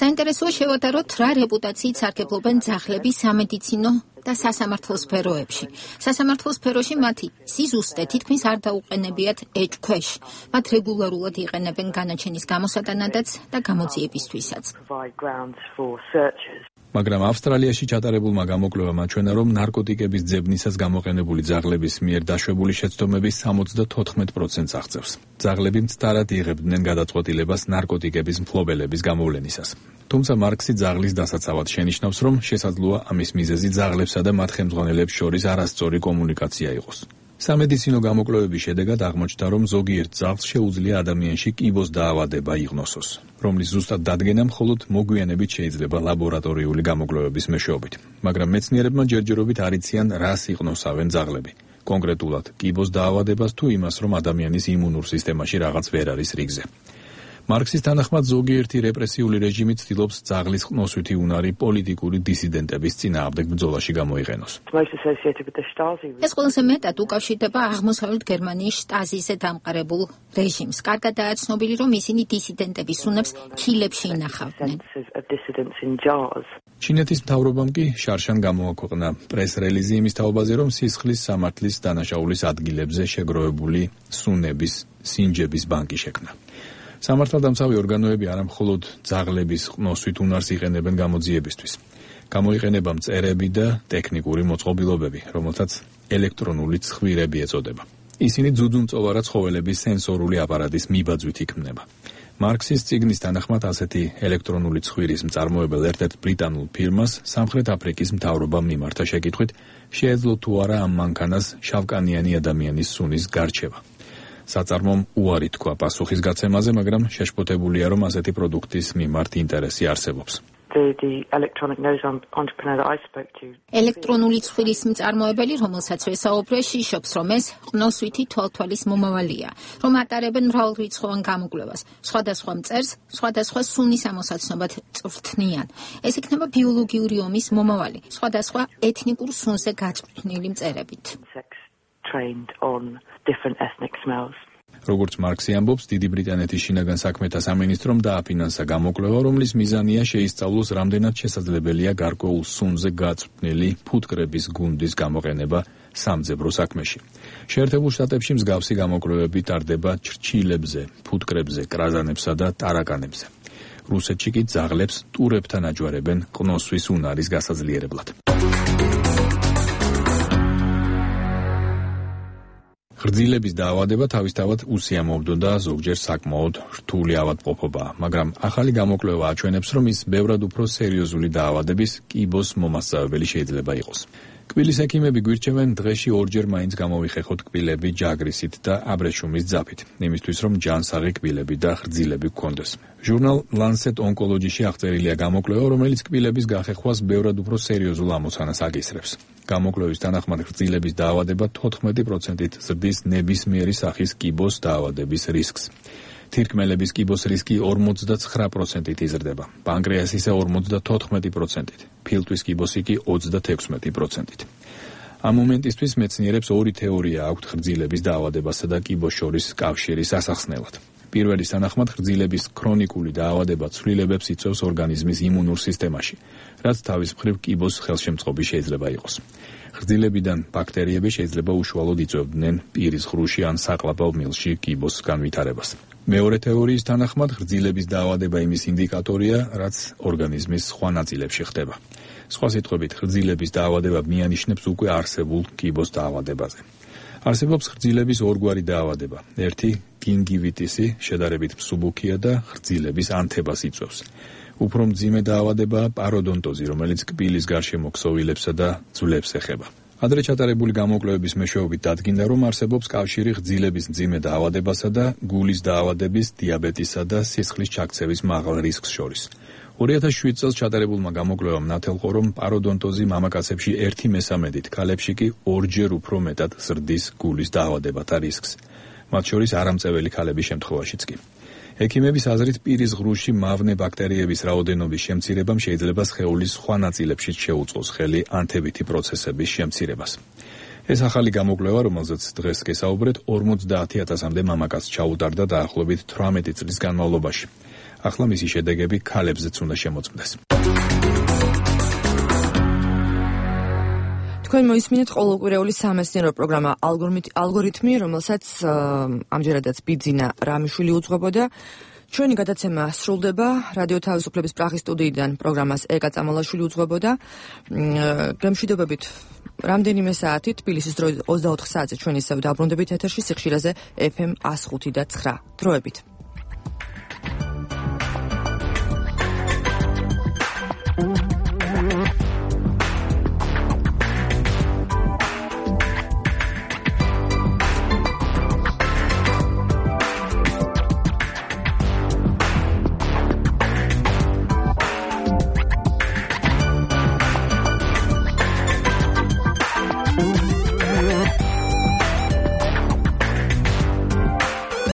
საინტერესოა შევადაროთ, რა რეპუტაციით სარგებლობენ ძაღლები სამედიცინო და სასამართლო სფეროებში. სასამართლო სფეროში მათი სიზუსტე თითქმის არ დაუყენებიათ ეჭქვეშ. მათ რეგულარულად იყენებენ განაჩენის გამოსატანადაც და გამოძიებისთვისაც. მაგრამ ავსტრალიაში ჩატარებულმა გამოკვლევამ აჩვენა, რომ ნარკოტიკების ძებნისას გამოყენებული ძაღლების მიერ დაშვებული შეცდომები 74%-ს აღწევს. ძაღლები მცდარად იღებდნენ გადაწყვეტილებას ნარკოტიკების მფლობელების გამოვლენისას. თუმცა მარქსი ძაღლის დასაცავად შენიშნავს, რომ შესაძლოა ამის მიზეზი ძაღლებსა და მათ ხელმძღვანელებს შორის არასწორი კომუნიკაცია იყოს. სამედიცინო გამოკვლევების შედეგად აღმოჩნდა, რომ ზოგიერთ ძაღლს შეუძლია ადამიანში კიბოს დაავადება იღნოსოს, რომლის ზუსტად დადგენა მხოლოდ მოგვიანებით შეიძლება ლაბორატორიული გამოკვლევების მეშვეობით. მაგრამ მეცნიერებმა ჯერჯერობით არ იციან, რას იყნოსავენ ძაღლები. კონკრეტულად კიბოს დაავადებას თუ იმას, რომ ადამიანის იმუნურ სისტემაში რაღაც ვერ არის რიგზე. მარქსის თანახმად ზოგიერთი რეპრესიული რეჟიმი ცდილობს ძაღლის ყნოსვითი უნარი პოლიტიკური დისიდენტების წინააღმდეგ ბრძოლაში გამოიყენოს. ეს ყველაზე მეტად უკავშირდება აღმოსავლეთ გერმანიის შტაზიზე დამყარებულ რეჟიმს. კარგადაა ცნობილი, რომ ისინი დისიდენტების უნებს ქილებში ინახავდნენ. ჩინეთის მთავრობამ კი შარშან გამოაქვეყნა პრეს-რელიზი იმის თაობაზე, რომ სისხლის სამართლის დანაშაულის ადგილებზე შეგროვებული სუნების, სინჯების ბანკი შექმნა. სამართალდამცავი ორგანოები არა მხოლოდ ძაღლების ყნოსვით უნარს იყენებენ გამოძიებისთვის. გამოიყენება მწერები და ტექნიკური მოწყობილობები, რომელთაც ელექტრონული ცხვირები ეწოდება. ისინი ძუძუმწოვარა ცხოველების სენსორული აპარატის მიბაძვით იქმნება. მარქსის წიგნის თანახმად ასეთი ელექტრონული ცხვირის მწარმოებელ ერთ-ერთ ბრიტანულ ფირმას სამხრეთ აფრიკის მთავრობამ მიმართა შეკითხვით, შეეძლო თუ არა ამ მანქანას შავკანიანი ადამიანის სუნის გარჩევა. საწარმომ უარი თქვა პასუხის გაცემაზე, მაგრამ შეშფოთებულია, რომ ასეთი პროდუქტის მიმართ ინტერესი არსებობს. ელექტრონული ცხვირის მწარმოებელი, რომელსაც ვესაუბრე, შიშობს, რომ ეს ყნოსვითი თვალთვალის მომავალია, რომ ატარებენ მრავალრიცხოვან გამოკვლევას, სხვადასხვა მწერს, სხვადასხვა სუნის ამოსაცნობად წვრთნიან. ეს იქნება ბიოლოგიური ომის მომავალი, სხვადასხვა ეთნიკურ სუნზე გაწვრთნილი მწერებით. როგორც მარქსი ამბობს, დიდი ბრიტანეთის შინაგან საქმეთა სამინისტრომ დააფინანსა გამოკვლევა, რომლის მიზანია შეისწავლოს, რამდენად შესაძლებელია გარკვეულ სუნზე გაწვრთნილი ფუტკრების გუნდის გამოყენება სამძებრო საქმეში. შეერთებულ შტატებში მსგავსი გამოკვლევები ტარდება ჩრჩილებზე, ფუტკრებზე, კრაზანებსა და ტარაკანებზე. რუსეთში კი ძაღლებს ტურებთან აჯვარებენ ყნოსვის უნარის გასაძლიერებლად. ღრძილების დაავადება თავისთავად უსიამოვნო და ზოგჯერ საკმაოდ რთული ავადმყოფობაა, მაგრამ ახალი გამოკვლევა აჩვენებს, რომ ის ბევრად უფრო სერიოზული დაავადების კიბოს მომასწავებელი შეიძლება იყოს. კბილის ექიმები გვირჩევენ დღეში ორჯერ მაინც გამოვიხეხოთ კბილები ჯაგრისით და აბრეშუმის ძაფით, იმისთვის რომ ჯანსაღი კბილები და ღრძილები გქონდეს. ჟურნალ Lancet Oncology-ში აღწერილია გამოკვლევა, რომელიც კბილების გახეხვას ბევრად უფრო სერიოზულ ამოცანას აკისრებს. გამოკვლევის თანახმად ღრძილების დაავადება 14%-ით ზრდის ნებისმიერი სახის კიბოს დაავადების რისკს. თირკმელების კიბოს რისკი 49%-ით იზრდება, პანკრეასისა 54%-ით, ფილტვის კიბოსი კი 36%-ით. ამ მომენტისთვის მეცნიერებს ორი თეორია აქვთ ღრძილების დაავადებასა და კიბოს შორის კავშირის ასახსნელად. პირველის თანახმად ღრძილების ქრონიკული დაავადება ცვლილებებს იწვევს ორგანიზმის იმუნურ სისტემაში, რაც თავის მხრივ კიბოს ხელშემწყობი შეიძლება იყოს. ღრძილებიდან ბაქტერიები შეიძლება უშუალოდ იწვევდნენ პირის ღრუში ან საყლაპავ მილში კიბოს განვითარებას. მეორე თეორიის თანახმად ღრძილების დაავადება იმის ინდიკატორია, რაც ორგანიზმის სხვა ნაწილებში ხდება. სხვა სიტყვებით, ღრძილების დაავადება მიანიშნებს უკვე არსებულ კიბოს დაავადებაზე. არსებობს ღრძილების ორგვარი დაავადება. ერთი გინგივიტისი, შედარებით მსუბუქია და ღრძილების ანთებას იწვევს. უფრო მძიმე დაავადებაა პაროდონტოზი, რომელიც კბილის გარშემო ქსოვილებსა და ძვლებს ეხება. ადრე ჩატარებული გამოკვლევების მეშვეობით დადგინდა, რომ არსებობს კავშირი ღრძილების მძიმე დაავადებასა და გულის დაავადების, დიაბეტისა და სისხლის ჩაქცევის მაღალ რისკს შორის. 2007 წელს ჩატარებულმა გამოკვლევამ ნათელყო, რომ პაროდონტოზი მამაკაცებში 1/13-ით, ქალებში კი 2-ჯერ უფრო მეტად ზრდის გულის დაავადებათა რისკს, მათ შორის არამწეველი ქალების შემთხვევაშიც კი. ექიმების აზრით, პირის ღრუში მავნე ბაქტერიების რაოდენობის შემცირებამ შეიძლება სხეულის სხვა ნაწილებშიც შეუწყოს ხელი ანთებითი პროცესების შემცირებას. ეს ახალი გამოკვლევა, რომელზეც დღეს გესაუბრეთ, 50,000-მდე მამაკაცს ჩაუტარდა დაახლოებით 18 წლის განმავლობაში. ახლა მისი შედეგები ქალებზეც უნდა შემოწმდეს. თქვენ მოისმინეთ ყოველკვირეული სამეცნიერო პროგრამა ალგორითმი, რომელსაც ამჯერადაც ბიძინა რამიშვილი უძღვებოდა. ჩვენი გადაცემა სრულდება. რადიო თავისუფლების პრაღის სტუდიიდან პროგრამას ეკა წამალაშვილი უძღვებოდა. გემშვიდობებით რამდენიმე საათით, თბილისის დროით 24 საათზე ჩვენ ისევ დაბრუნდებით ეთერში სიხშირეზე FM 105.9 დროებით.